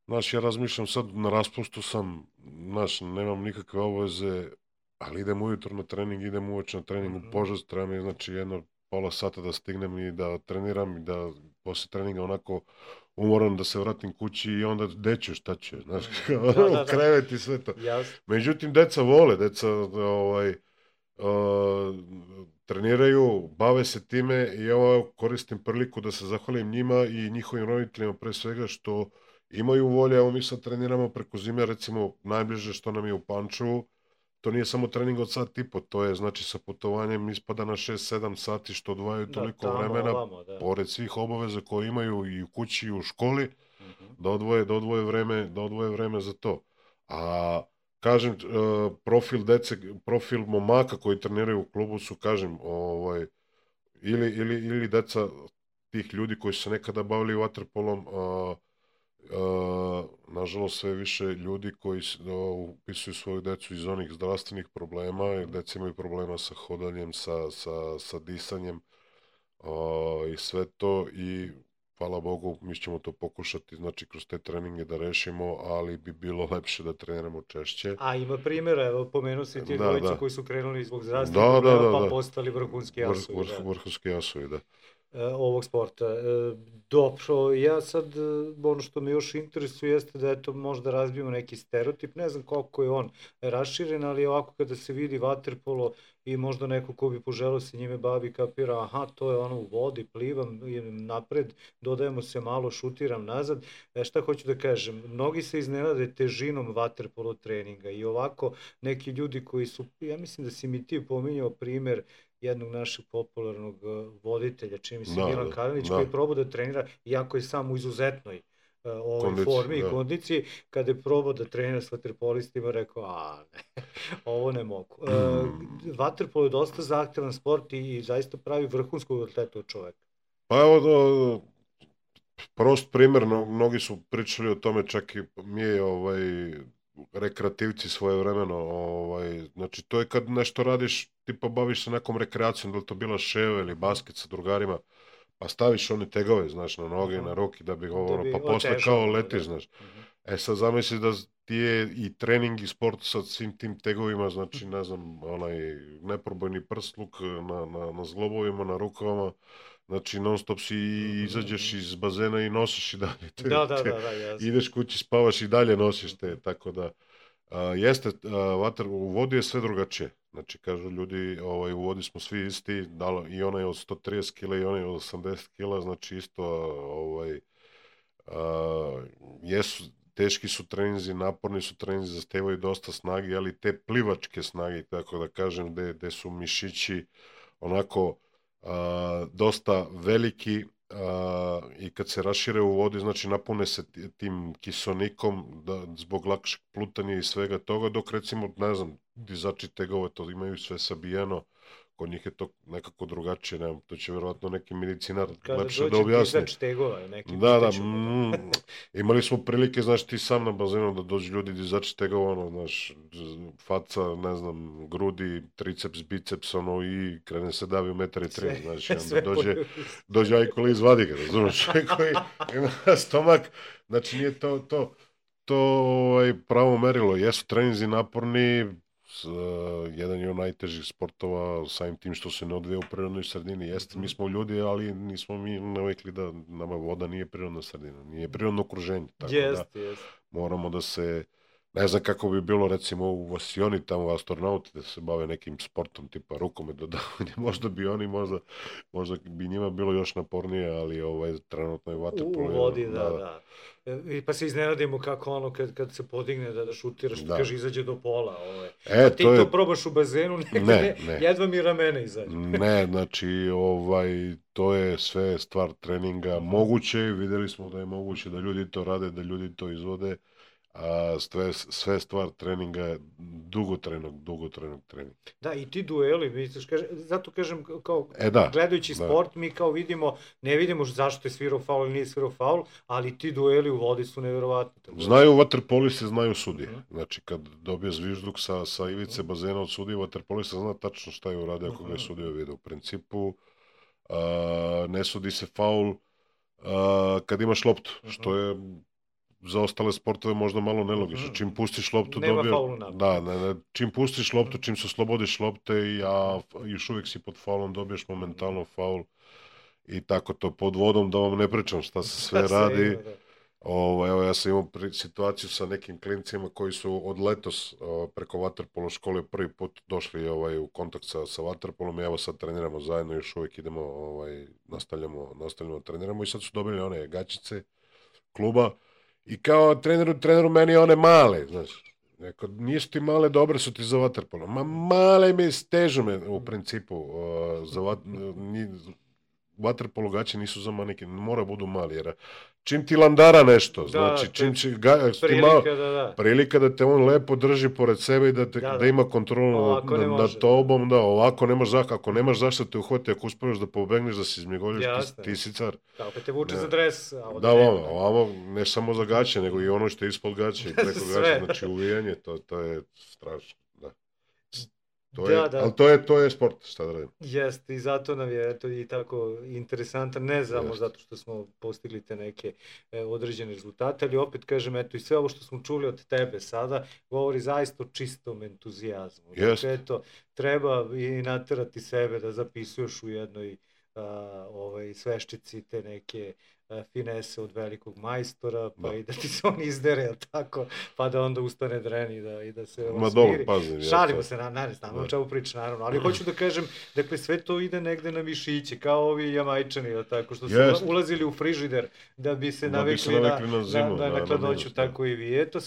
znaš, ja razmišljam sad, na raspustu sam, znaš, nemam nikakve obaveze, ali idem ujutro na trening, idem uveče na trening u Požast, treba mi, znači, jedno pola sata da stignem i da treniram i da posle treninga onako umoram da se vratim kući i onda deću šta ću, znaš, krevet i sve to. Međutim, deca vole, deca treniraju, bave se time i evo koristim priliku da se zahvalim njima i njihovim roditeljima pre svega što imaju volje. Evo mi sad treniramo preko zime, recimo najbliže što nam je u Pančevu, to nije samo trening od sat i po, to je znači sa putovanjem ispada na 6-7 sati što odvajaju toliko vremena, pored svih obaveza koje imaju i u kući i u školi, da odvoje vreme za to. A kažem, profil momaka koji treniraju u klubu su, kažem, ili deca tih ljudi koji su se nekada bavili vaterpolom, nažalost sve više ljudi koji upisuju svoju decu iz onih zdravstvenih problema, jer deca imaju problema sa hodanjem, sa disanjem i sve to i hvala Bogu, mi ćemo to pokušati, znači kroz te treninge da rešimo, ali bi bilo lepše da treniramo češće. A ima primjera, evo pomenuo si ti dvojicu koji su krenuli zbog zdravstvenih problema pa postali vrhunski jasovi. Vrhunski jasovi, da. Ovog sporta. Dobro, ja sad, ono što me još interesuje jeste da eto možda razbijemo neki stereotip, ne znam koliko je on raširen, ali ovako kada se vidi vaterpolo i možda neko ko bi poželao se njime bavi kapira, aha, to je ono u vodi, plivam, idem napred, dodajemo se malo, šutiram nazad. Šta hoću da kažem, mnogi se iznenade težinom vaterpolo treninga i ovako neki ljudi koji su, ja mislim da si mi ti pominjao primer jednog našeg popularnog voditelja, čini mi se Milan Kalinić, koji je probao da trenira, iako je sam u izuzetnoj formi i kondiciji, kada je probao da trenira s vaterpolistima, rekao, ne, ovo ne mogu. Vaterpolo je dosta zahtevan sport i zaista pravi vrhunskog atleta od čoveka. Pa evo, prost primer, mnogi su pričali o tome, čak i mi je rekreativci svojevremeno, znači to je kad nešto radiš, tipa baviš se nekom rekreacijom, da li to bila ševa ili basket sa drugarima, pa staviš one tegove, znaš, na noge, na ruke, da bi pa posle kao letiš, znaš. Sad zamisli da ti je i trening i sport sa svim tim tegovima, znači ne znam, onaj neprobojni prsluk na zglobovima, na rukavama, znači non stop si izađeš iz bazena i nosiš i dalje Da, jasno. ideš kući, spavaš i dalje nosiš te, tako da jeste, u vodi je sve drugačije. Znači, kažu ljudi, u vodi smo svi isti, i onaj od 130 kila i onaj od 80 kila, znači isto, jesu, teški su treninzi, naporni su treninzi, zahtevaju dosta snage, ali te plivačke snage, tako da kažem, gde su mišići onako dosta veliki, i kad se rašire u vodi, znači napune se tim kisonikom zbog lakšeg plutanja i svega toga, dok recimo, ne znam, dizači tegova to imaju sve sabijeno, kod njih je to nekako drugačije, ne znam, to će verovatno neki medicinar lepše da objasni. Kada dođe dizač tegova, neki da, imali smo prilike, znaš, ti sam na bazenu da dođu ljudi dizači tegova, ono, znaš, faca, ne znam, grudi, triceps, biceps, ono, i krene se davi u 1,3 m, znači, onda dođe ajkolo izvadi ga, razumiješ, koji ima stomak, znači, nije to pravo merilo, jesu treninzi naporni, jedan je od najtežih sportova, samim tim što se ne odvija u prirodnoj sredini. Jeste, mi smo ljudi, ali nismo mi navikli da nama voda nije prirodna sredina, nije prirodno okruženje. Tako da moramo da se, ne znam kako bi bilo recimo u Vasioni, tamo astronauti da se bave nekim sportom tipa rukomet dodavanje, možda bi oni, možda bi njima bilo još napornije, ali trenutno je vaterpolo. U vodi, da. Pa se iznenadimo kako ono kad se podigne da šutiraš, kaže izađe do pola. A ti to probaš u bazenu, ne, jedva mi ramena izađe. Ne, znači to je sve stvar treninga moguće, videli smo da je moguće da ljudi to rade, da ljudi to izvode, a sve stvar treninga, dugotrajnog treninga. Da, i ti dueli, misliš, zato kažem, kao gledajući sport, mi kao vidimo, ne vidimo zašto je svirao faul ili nije svirao faul, ali ti dueli u vodi su nevjerovatni. Znaju vaterpoliste, znaju sudije. Znači, kad dobije zvižduk sa ivice bazena od sudije, vaterpolista zna tačno šta je uradio ako ga je sudio video. U principu, ne sudi se faul kad imaš loptu, što je za ostale sportove možda malo nelogično. Čim pustiš loptu, nema faulu napad. Čim pustiš loptu, čim se oslobodiš lopte, a još uvijek si pod faulom, dobiješ momentalno faul i tako to. Pod vodom, da vam ne pričam šta se sve radi. Evo, ja sam imao situaciju sa nekim klincima koji su od letos preko vaterpolo škole prvi put došli u kontakt sa vaterpolom i evo sad treniramo zajedno, još uvijek idemo, nastavljamo treniramo i sad su dobili one gaćice kluba. I kao treneru meni one male, znaš, neko, nisu ti male, dobre su ti za vaterpolo. Male mi stežu me u principu, vaterpolo gaće nisu za manike, mora budu mali, jer čim ti landara nešto, znači čim će prilika da te on lepo drži pored sebe i da ima kontrolu nad tobom, ovako nemaš zašto, ako nemaš zašto te uhvati, ako uspeš da pobegneš, da se izmjegoljaš, ti si car. Kao pa te vuče za dres. Ovamo, ne samo za gaće, nego i ono što je ispod gaće i preko gaće, znači uvijanje, to je strašno, da. Ali to je sport, šta da radim. Jeste, i zato nam je to i tako interesantan, ne samo zato što smo postigli te neke određene rezultate, ali opet kažem, eto, i sve ovo što smo čuli od tebe sada, govori zaista o čistom entuzijazmu. Dakle, eto, treba i naterati sebe da zapisuješ u jednoj sveščici te neke finese od velikog majstora, pa i da ti se on izdere, tako, pa da onda ustane dren i da se smiri. Šalimo se, znamo o čemu priča, naravno, ali hoću da kažem, dakle, sve to ide negde na mišiće, kao ovi Jamajčani, tako, što su ulazili u frižider da bi se navikli na hladnoću, tako i vi. Eto,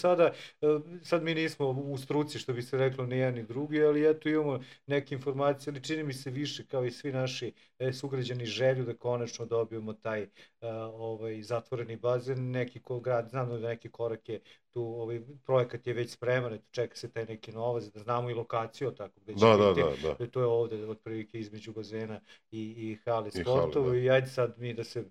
sad mi nismo u struci, što bi se reklo, ni jedan ni drugi, ali eto, imamo neke informacije, ali čini mi se više, kao i svi naši sugrađani, želju da konačno dobijemo taj zatvoreni bazen, znam da neki korak je tu, projekat je već spreman, čeka se taj neki novac, da znamo i lokaciju, tako gde će biti, to je ovde otprilike između bazena i hale sportova i ajde sad mi da se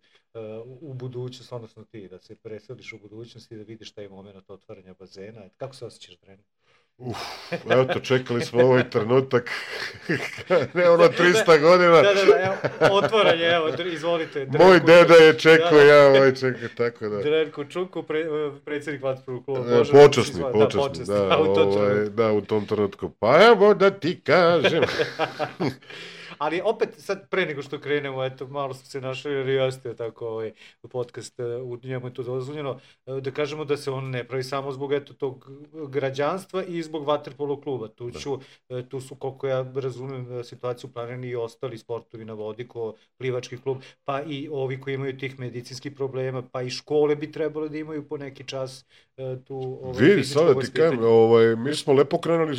u budućnost, odnosno ti, da se preseliš u budućnost i da vidiš taj moment otvaranja bazena. Kako se osjećaš, trener? Evo to, čekali smo ovaj trenutak, ne ono 300 godina. Evo, otvaranje, evo, izvolite. Moj deda je čekao, ja ovaj čekao, tako da. Drenko Čuko, predsjednik vaterpolog kluba. Počasni, u tom trenutku. Pa evo da ti kažem. Ali opet, sad pre nego što krenemo, eto, malo smo se našli, jer jeste tako podcast, u njemu je to dozvoljeno, da kažemo da se on ne pravi samo zbog tog građanstva i zbog vaterpolo kluba. Tu su, koliko ja razumijem situaciju, planirani i ostali sportovi na vodi, ko plivački klub, pa i ovi koji imaju tih medicinskih problema, pa i škole bi trebalo da imaju po neki čas tu fizičko vaspitanje. Mi smo lepo krenuli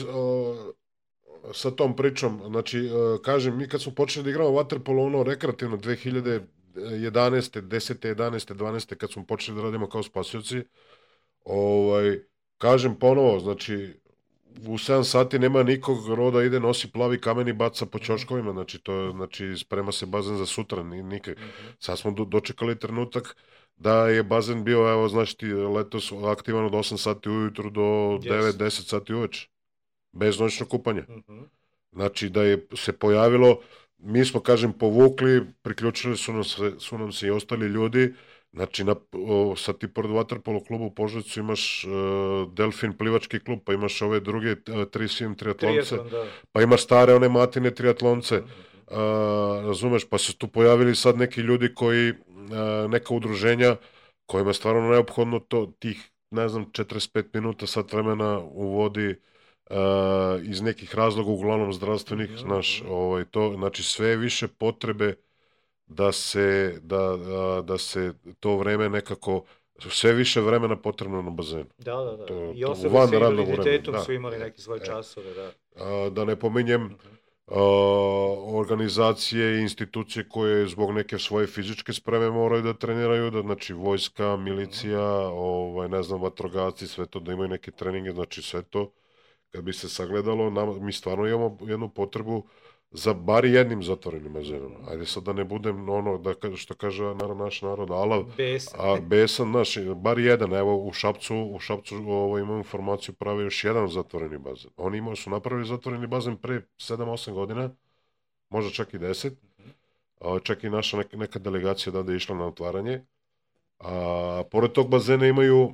sa tom pričom, znači, kažem, mi kad smo počeli da igramo vaterpolo, ono, rekreativno, 2011. 10. 11. 12. kad smo počeli da radimo kao spasioci, kažem ponovo, znači, u 7 sati nema nikog roda, ide, nosi plavi kamen i baca po ćoškovima, znači, sprema se bazen za sutra, nikak. Sad smo dočekali trenutak da je bazen bio, evo, znači, letos aktivan od 8 sati ujutru do 9-10 sati uveče. Bez noćnog kupanja. Znači da je se pojavilo, mi smo, kažem, povukli, priključili su nam se i ostali ljudi, znači sad ti pored vaterpolo klubu u Požarevcu imaš Delfin plivački klub, pa imaš ove druge 3SM triatlonce, pa imaš stare one Matine triatlonce, razumeš, pa se tu pojavili sad neki ljudi koji, neka udruženja kojima je stvarno neophodno tih, ne znam, 45 minuta, sat vremena u vodi, iz nekih razloga, uglavnom zdravstvenih, znači sve više potrebe da se to vreme nekako, sve više vremena potrebno na bazenu. Da. I osobe sa invaliditetom su imali neke svoje časove, da. Da ne pominjem organizacije i institucije koje zbog neke svoje fizičke spreme moraju da treniraju, znači vojska, milicija, ne znam, vatrogasci, sve to, da imaju neke treninge, znači sve to. Kad bi se sagledalo, mi stvarno imamo jednu potrebu za bar jednim zatvorenim bazenom. Ajde sad da ne budem ono, što kaže naš narod, alav, besan, bar jedan. Evo u Šapcu imam informaciju, prave još jedan zatvoreni bazen. Oni su napravili zatvoreni bazen pre 7-8 godina, možda čak i 10. Čak i naša neka delegacija da je išla na otvaranje. Pored tog bazena imaju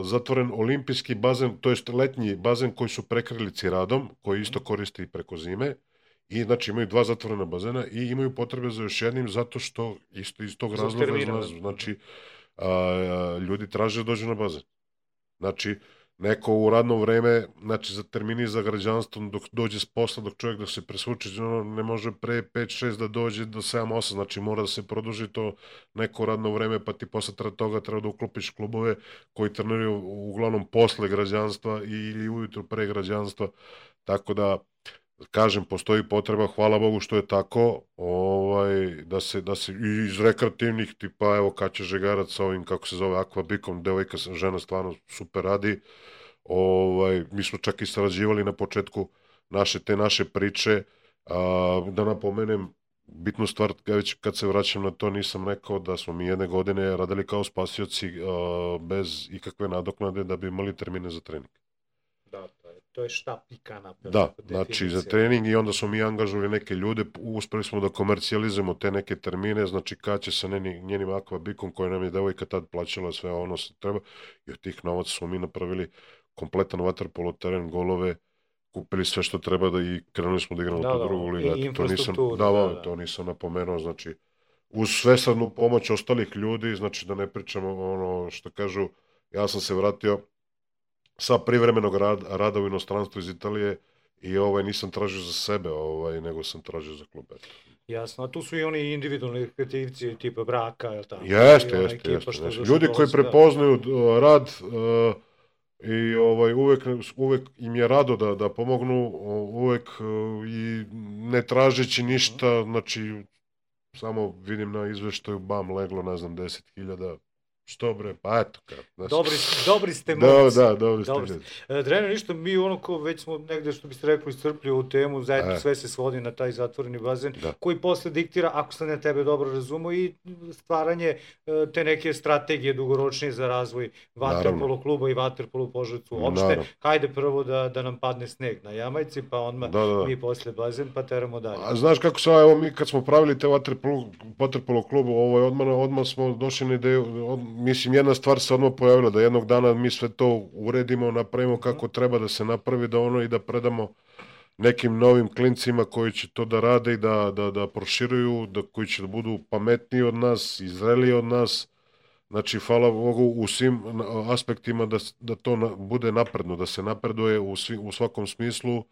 zatvoren olimpijski bazen, to jest letnji bazen koji su prekrili ciradom, koji isto koristi preko zime, i znači imaju 2 zatvorena bazena i imaju potrebe za još jednim, zato što isto iz tog razloga, znači ljudi traže da dođu na bazen. Znači neko u radno vreme, znači za termini za građanstvo, dok dođe s posla, dok čovjek da se presvuče, ne može pre 5-6 da dođe do 7-8, znači mora da se produži to neko radno vreme, pa ti posle toga treba da uklopiš klubove koji treniraju uglavnom posle građanstva ili ujutru pre građanstva, tako da, kažem, postoji potreba, hvala Bogu što je tako, da se iz rekreativnih, tipa, evo, Kaća Žegarac sa ovim, kako se zove, Aquabikom, devojka, žena stvarno super radi, mi smo čak i sarađivali na početku te naše priče, da napomenem, bitnu stvar, već kad se vraćam na to, nisam rekao da smo mi jedne godine radili kao spasioci bez ikakve nadoknade da bi imali termine za trening. Da, to je štap i kanap. Da, znači za trening, i onda smo mi angažovali neke ljude, uspeli smo da komercijalizujemo te neke termine, znači Kaća sa njenim Aquabikom, koja nam je devojka tad plaćala sve ono što treba, i od tih novaca smo mi napravili kompletan vaterpolo teren, golove, kupili sve što treba i krenuli smo da igramo tu drugu ligu. To nisam napomenuo, znači uz svesrdnu pomoć ostalih ljudi, znači da ne pričamo ono što kažu, ja sam se vratio sa privremenog rada u inostranstvu iz Italije i nisam tražio za sebe, nego sam tražio za klub. Jasno, a tu su i oni individualni kreativci tipa Braka, je li tako? Jeste. Ljudi koji prepoznaju rad i uvek im je rado da pomognu, uvek i ne tražeći ništa, znači samo vidim na izveštaju, leglo, ne znam, 10.000, što bre, pa eto kao. Dobri ste momci. Dobri ste ljudi. Dreno, ništa, mi već smo negde, što biste rekli, iscrpli ovu temu, sve se svodi na taj zatvoreni bazen, koji posle diktira, ako sam ja tebe dobro razumo, i stvaranje te neke strategije dugoročnije za razvoj vaterpolo kluba i vaterpolo u Požarevcu uopšte. Hajde prvo da nam padne sneg na Jamajci, pa odmah mi posle bazen, pa teramo dalje. A znaš kako se, evo mi kad smo pravili te vaterpolo klubu, odmah smo došli na ideju, mislim, jedna stvar se odmah pojavila, da jednog dana mi sve to uredimo, napravimo kako treba da se napravi, i da predamo nekim novim klincima koji će to da rade i da proširuju, koji će da budu pametniji od nas, zreliji od nas. Znači, hvala Bogu, u svim aspektima da to bude napredno, da se napreduje u svakom smislu,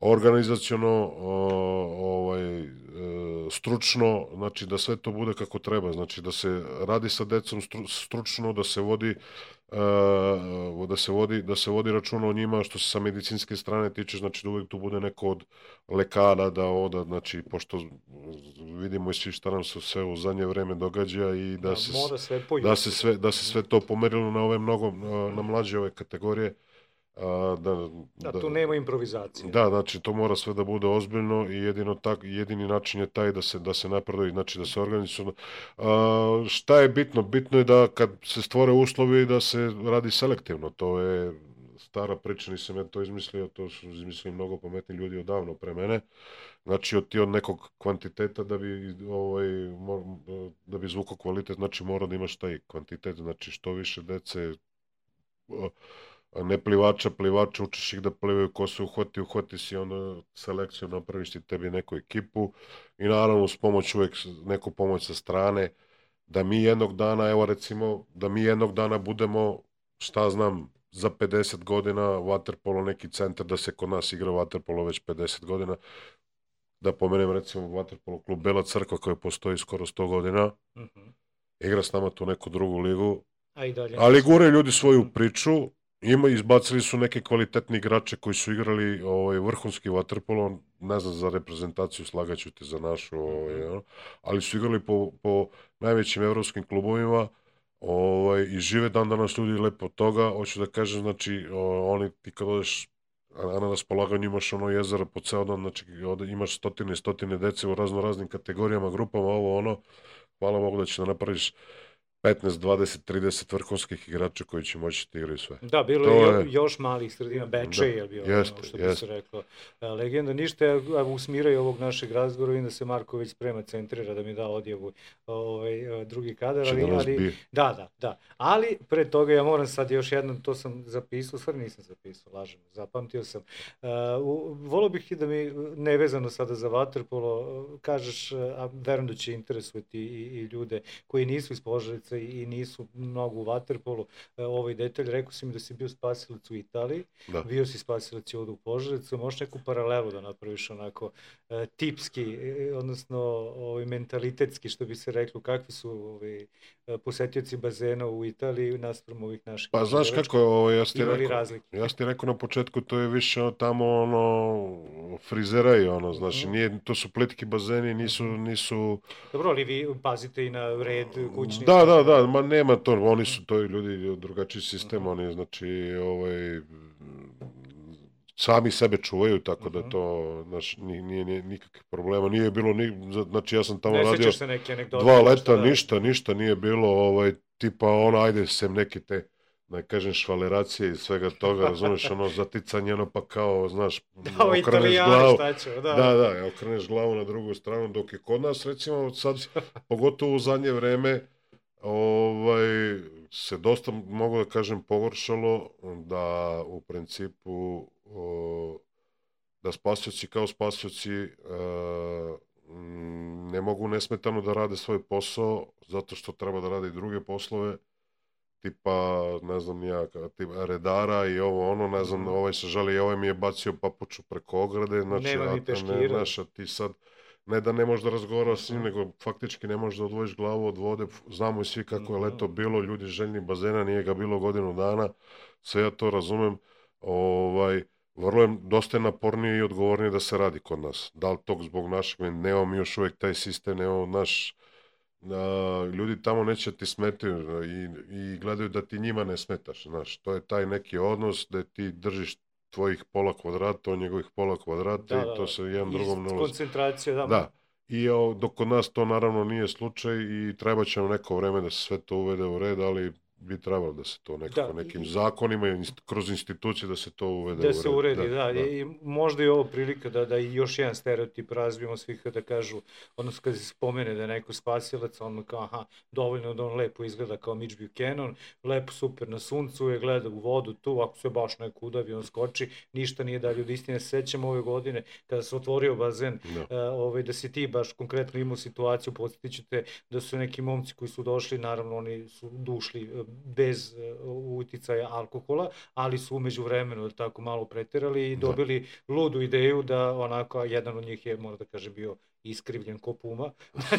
organizaciono, stručno, znači da sve to bude kako treba, znači da se radi sa decom stručno, da se vodi računa o njima, što se sa medicinske strane tiče, znači da uvijek tu bude neko od lekara znači pošto vidimo i svi šta nam se sve u zadnje vreme događa i da se sve to pomerilo na ove na mlađe ove kategorije. Tu nema improvizacije. Da, znači to mora sve da bude ozbiljno i jedini način je taj da se napreduje, znači da se organizuje. Šta je bitno? Bitno je da kad se stvore uslovi da se radi selektivno, to je stara priča, nisam ja to izmislio, to su izmislili mnogo pametni ljudi odavno pre mene. Znači od nekog kvantiteta da bi zvukao kvalitet, znači mora da imaš taj kvantitet, znači što više dece, ne plivača, učiš ih da plivaju, ko se uhvati si onda selekciju, napraviš ti tebi neku ekipu i naravno uz pomoć uvek neku pomoć sa strane, da mi jednog dana, evo recimo, da mi jednog dana budemo, šta znam, za 50 godina vaterpolo neki centar, da se kod nas igra vaterpolo već 50 godina, da pomenem recimo vaterpolo klub Bela Crkva koji postoji skoro 100 godina, igra s nama tu neku drugu ligu, ali gure ljudi svoju priču, izbacili su neke kvalitetni igrače koji su igrali vrhunski vaterpolo, ne znam za reprezentaciju, slagaću te za našu, ali su igrali po najvećim evropskim klubovima i žive dan danas ljudi lepo od toga. Hoću da kažem, znači, ti kad odeš na raspolaganju imaš jezero po ceo dan, znači imaš stotine i stotine dece u raznim kategorijama, grupama, hvala Bogu da će da napraviš 15, 20, 30 vrhunskih igrača koji će moći da igraju sve. Da, bilo je još malih sredina, Bečej je bio, što bi se reklo, legenda. Ništa, u smiraju ovog našeg razgovora, vidim da se Marko već sprema, centrira da mi da odjavu drugi kadar. Da. Ali pre toga ja moram sad još jednom, to sam zapisao, stvarno nisam zapisao, lažem, zapamtio sam. Volio bih i da mi, nevezano sada za vaterpolo, kažeš, a verujem da će interesovati i ljude koji nisu iz Požarevca i nisu mnogo u vaterpolu, ovaj detalj, rekao si mi da si bio spasilac u Italiji, bio si spasilac i ovdje u Požarevcu, možeš neku paralelu da napraviš onako tipski, odnosno mentalitetski, što bi se reklo, kakvi su posetioci bazena u Italiji naspram ovih naših? Pa znaš kako, ja ti rekao na početku, to je više tamo frizera i znači to su plitki bazeni, nisu... Dobro, ali vi pazite i na red kućni? Da, ma nema to, oni su to ljudi drugačiji sistem, oni znači sami sebe čuvaju, tako da to nije nikakvih problema, nije bilo, znači ja sam tamo radio 2 leta, ništa nije bilo, tipa ajde sem neke te, da kažem, švaleracije i svega toga, razumeš, zaticanje, pa kao, znaš, okreneš glavu na drugu stranu, dok je kod nas, recimo, sad, pogotovo u zadnje vreme, se dosta, mogu da kažem, pogoršalo, da u principu da spasioci kao spasioci ne mogu nesmetano da rade svoj posao zato što treba da rade i druge poslove, tipa, ne znam ja, tipa redara i ne znam, ovaj se žali, ovaj mi je bacio papuču preko ograde, znači, nema mi peškira, ti sad ne da ne možeš da razgovaraš s njim, nego faktički ne možeš da odvojiš glavu od vode. Znamo i svi kako je leto bilo, ljudi željni bazena, nije ga bilo godinu dana, sve ja to razumem. Vrlo je dosta napornije i odgovornije da se radi kod nas. Da li to zbog našeg, nemamo mi još uvijek taj sistem, nemamo ljudi tamo neće ti smetaju i gledaju da ti njima ne smetaš, znaš, to je taj neki odnos da ti držiš tvojih pola kvadrata, on njegovih pola kvadrata i to se jedan drugom ne ulazi. Koncentracija, da. Da, i dok kod nas to naravno nije slučaj i treba će nam neko vreme da se sve to uvede u red, ali bi trebalo da se to nekako nekim zakonima i kroz institucije da se to uvede u red. Da se uredi, da. I možda je ovo prilika da i još jedan stereotip razvijemo svih da kažu, odnosno kad se spomene da je neko spasilac, on kao, aha, dovoljno da on lepo izgleda kao Mitch Buchanan, lepo super na suncu je, gleda u vodu tu, ako se baš neko udavi, on skoči, ništa nije dalje od istine. Sećam ove godine kada se otvorio bazen, da si ti baš konkretno imao situaciju, podsjetit ćete da su neki momci koji su došli, naravno oni su došli bez uticaja alkohola, ali su umeđu vremenu tako malo preterali i dobili ludu ideju da onako, jedan od njih je, moram da kažem, bio iskrivljen ko puma,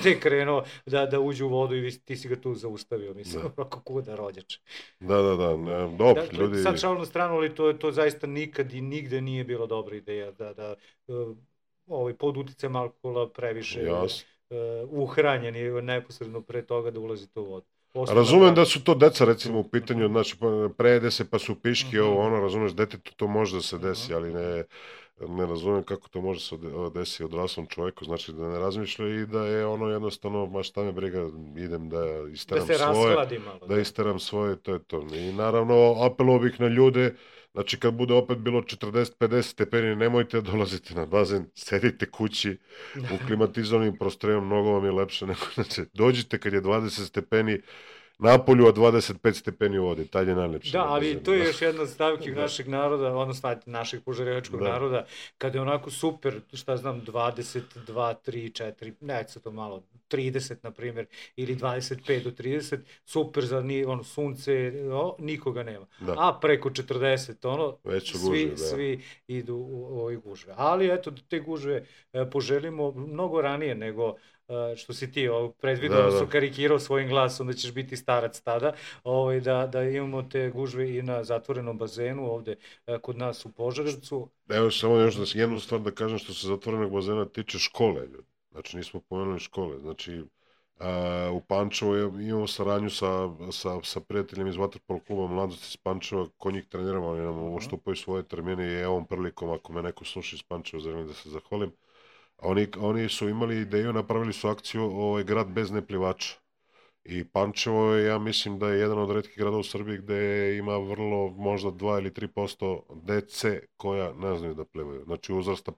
da je krenuo da uđe u vodu i ti si ga tu zaustavio, mislim, kako kuda rođače. Dobro, ljudi... Sad šalno stranu, ali to zaista nikad i nigde nije bila dobra ideja, da pod uticajem alkohola previše uhranjeni neposredno pre toga da ulazite u vodu. Razumem da su to deca, recimo, u pitanju, znači, prejede se pa su piški, razumeš, detetu to može da se desi, ali ne razumem kako to može se desiti odraslom čovjeku, znači da ne razmišlja i da je jednostavno, ma šta me briga, idem da isteram svoje, to je to. I naravno, apelovao bih na ljude, znači kad bude opet bilo 40-50 stepeni, nemojte dolaziti na bazen, sedite kući u klimatizovanim prostorijama, mnogo vam je lepše nego, znači, dođite kad je 20 stepeni napolju, a 25 stepeni u vodi, taj je najlepši. Da, ali to je još jedna od stavki našeg naroda, odnosno našeg požarevačkog naroda, kada je onako super, šta znam, 22, 3, 4, neće to malo, 30 na primjer, ili 25 do 30, super za sunce, nikoga nema. A preko 40, svi idu u ovoj gužve. Ali eto, te gužve poželimo mnogo ranije nego što si ti predvidno su karikirao svojim glasom da ćeš biti starac tada, da imamo te gužve i na zatvorenom bazenu ovde kod nas u Požarevcu. Evo samo još jednu stvar da kažem što se zatvorenog bazena tiče škole. Znači nismo pomenuli škole. Znači u Pančevu imamo saradnju sa prijateljima iz Vaterpolo kluba Mladost iz Pančeva, ko njih treniramo, oni nam uštupaju svoje termine i ovom prilikom ako me neko sluša iz Pančeva, želim da se zahvalim. Oni su imali ideju, napravili su akciju grad bez neplivača. I Pančevo je, ja mislim da je jedan od retkih gradova u Srbiji gde ima vrlo, možda 2 ili 3% dece koja ne znaju da plivaju. Znači uzrasta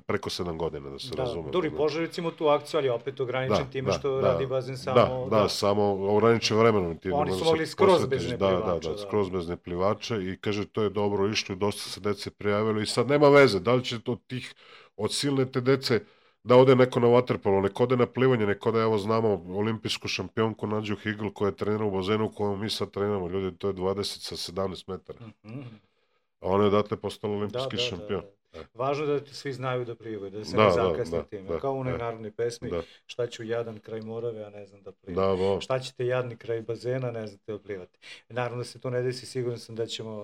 preko 7 godina, da se razume. Duri Požarevac ima tu akciju, ali opet ograničen time što radi bazen samo... Da, samo ograničen vremenom. Oni su mogli skroz bez neplivača. Da, skroz bez neplivača i kaže to je dobro išlo i dosta se dece prijavilo i sad nema veze, da li će od silne te dece da ode neko na vaterpolo, neko ode na plivanje, neko da, evo znamo, olimpijsku šampionku Nađu Higl koja trenira u bazenu u kojem mi sad treniramo, ljudi, to je 20 sa 17 metara. A ona je odatle postala olimpijski šampion. Važno je da svi znaju da plivaju, da se ne zakasne time. Kao u onoj narodnoj pesmi, šta ću jadan kraj Morave, a ne znam da plivam. Šta ćete jadni kraj bazena, ne znate da plivate. Naravno da se to ne desi, siguran sam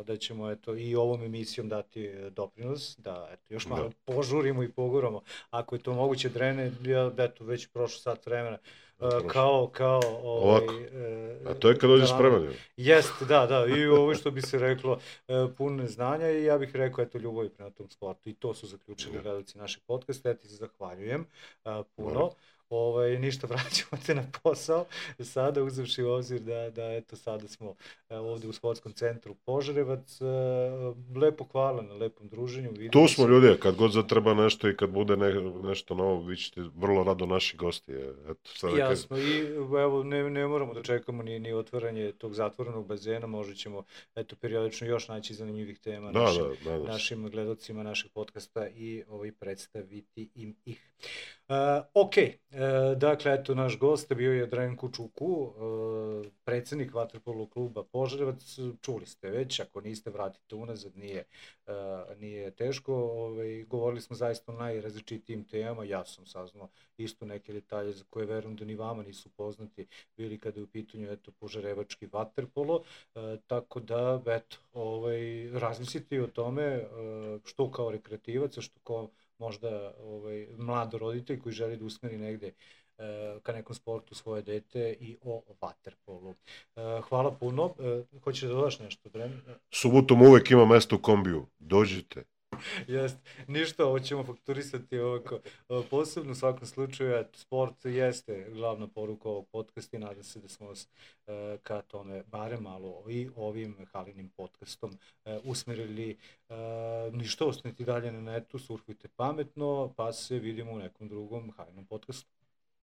da ćemo i ovom emisijom dati doprinos, da još malo požurimo i poguramo. Ako je to moguće, Drene, već prošlo sat vremena, a to je kad dođe spreman. Jeste, da, i ovo što bi se reklo puno znanja i ja bih rekao ljubavi prema tom sportu i to su zaključili gledalci našeg podcasta, ja ti se zahvaljujem puno. Ništa, vraćamo te na posao sada, uzevši u obzir da sada smo ovde u sportskom centru Požarevac. Lepo hvala na lepom druženju. Tu smo ljudi, kad god zatreba nešto i kad bude nešto novo, vi ćete vrlo rado naši gosti. Jasno, i evo ne moramo da čekamo ni otvaranje tog zatvorenog bazena, možda ćemo periodično još naći zanimljivih tema našim gledalcima našeg podcasta i predstaviti im ih. Ok, dakle, eto, naš gost bio je Drenko Čuku, predsjednik Vaterpolo kluba Požarevac. Čuli ste već, ako niste, vratite unazad, nije teško. Govorili smo zaista o najrazličitijim temama, ja sam saznao isto neke detalje za koje verujem da ni vama nisu poznati, bili kada je u pitanju požarevački vaterpolo, tako da, eto, razmislite o tome što kao rekreativac, što kao možda mlad roditelj koji želi da usmeri negde ka nekom sportu svoje dete i o vaterpolu. Hvala puno. Hoćeš da dodaš nešto? Subotom uvek ima mesto u kombiju. Dođite. Jeste. Ništa, ovo ćemo fakturisati ovako. Posebno u svakom slučaju, sport jeste glavna poruka ovog podcasta i nadam se da smo vas ka tome barem malo i ovim Halinim podcastom usmerili. Ništa, ostanite dalje na netu, surfujte pametno, pa se vidimo u nekom drugom Halinom podcastu.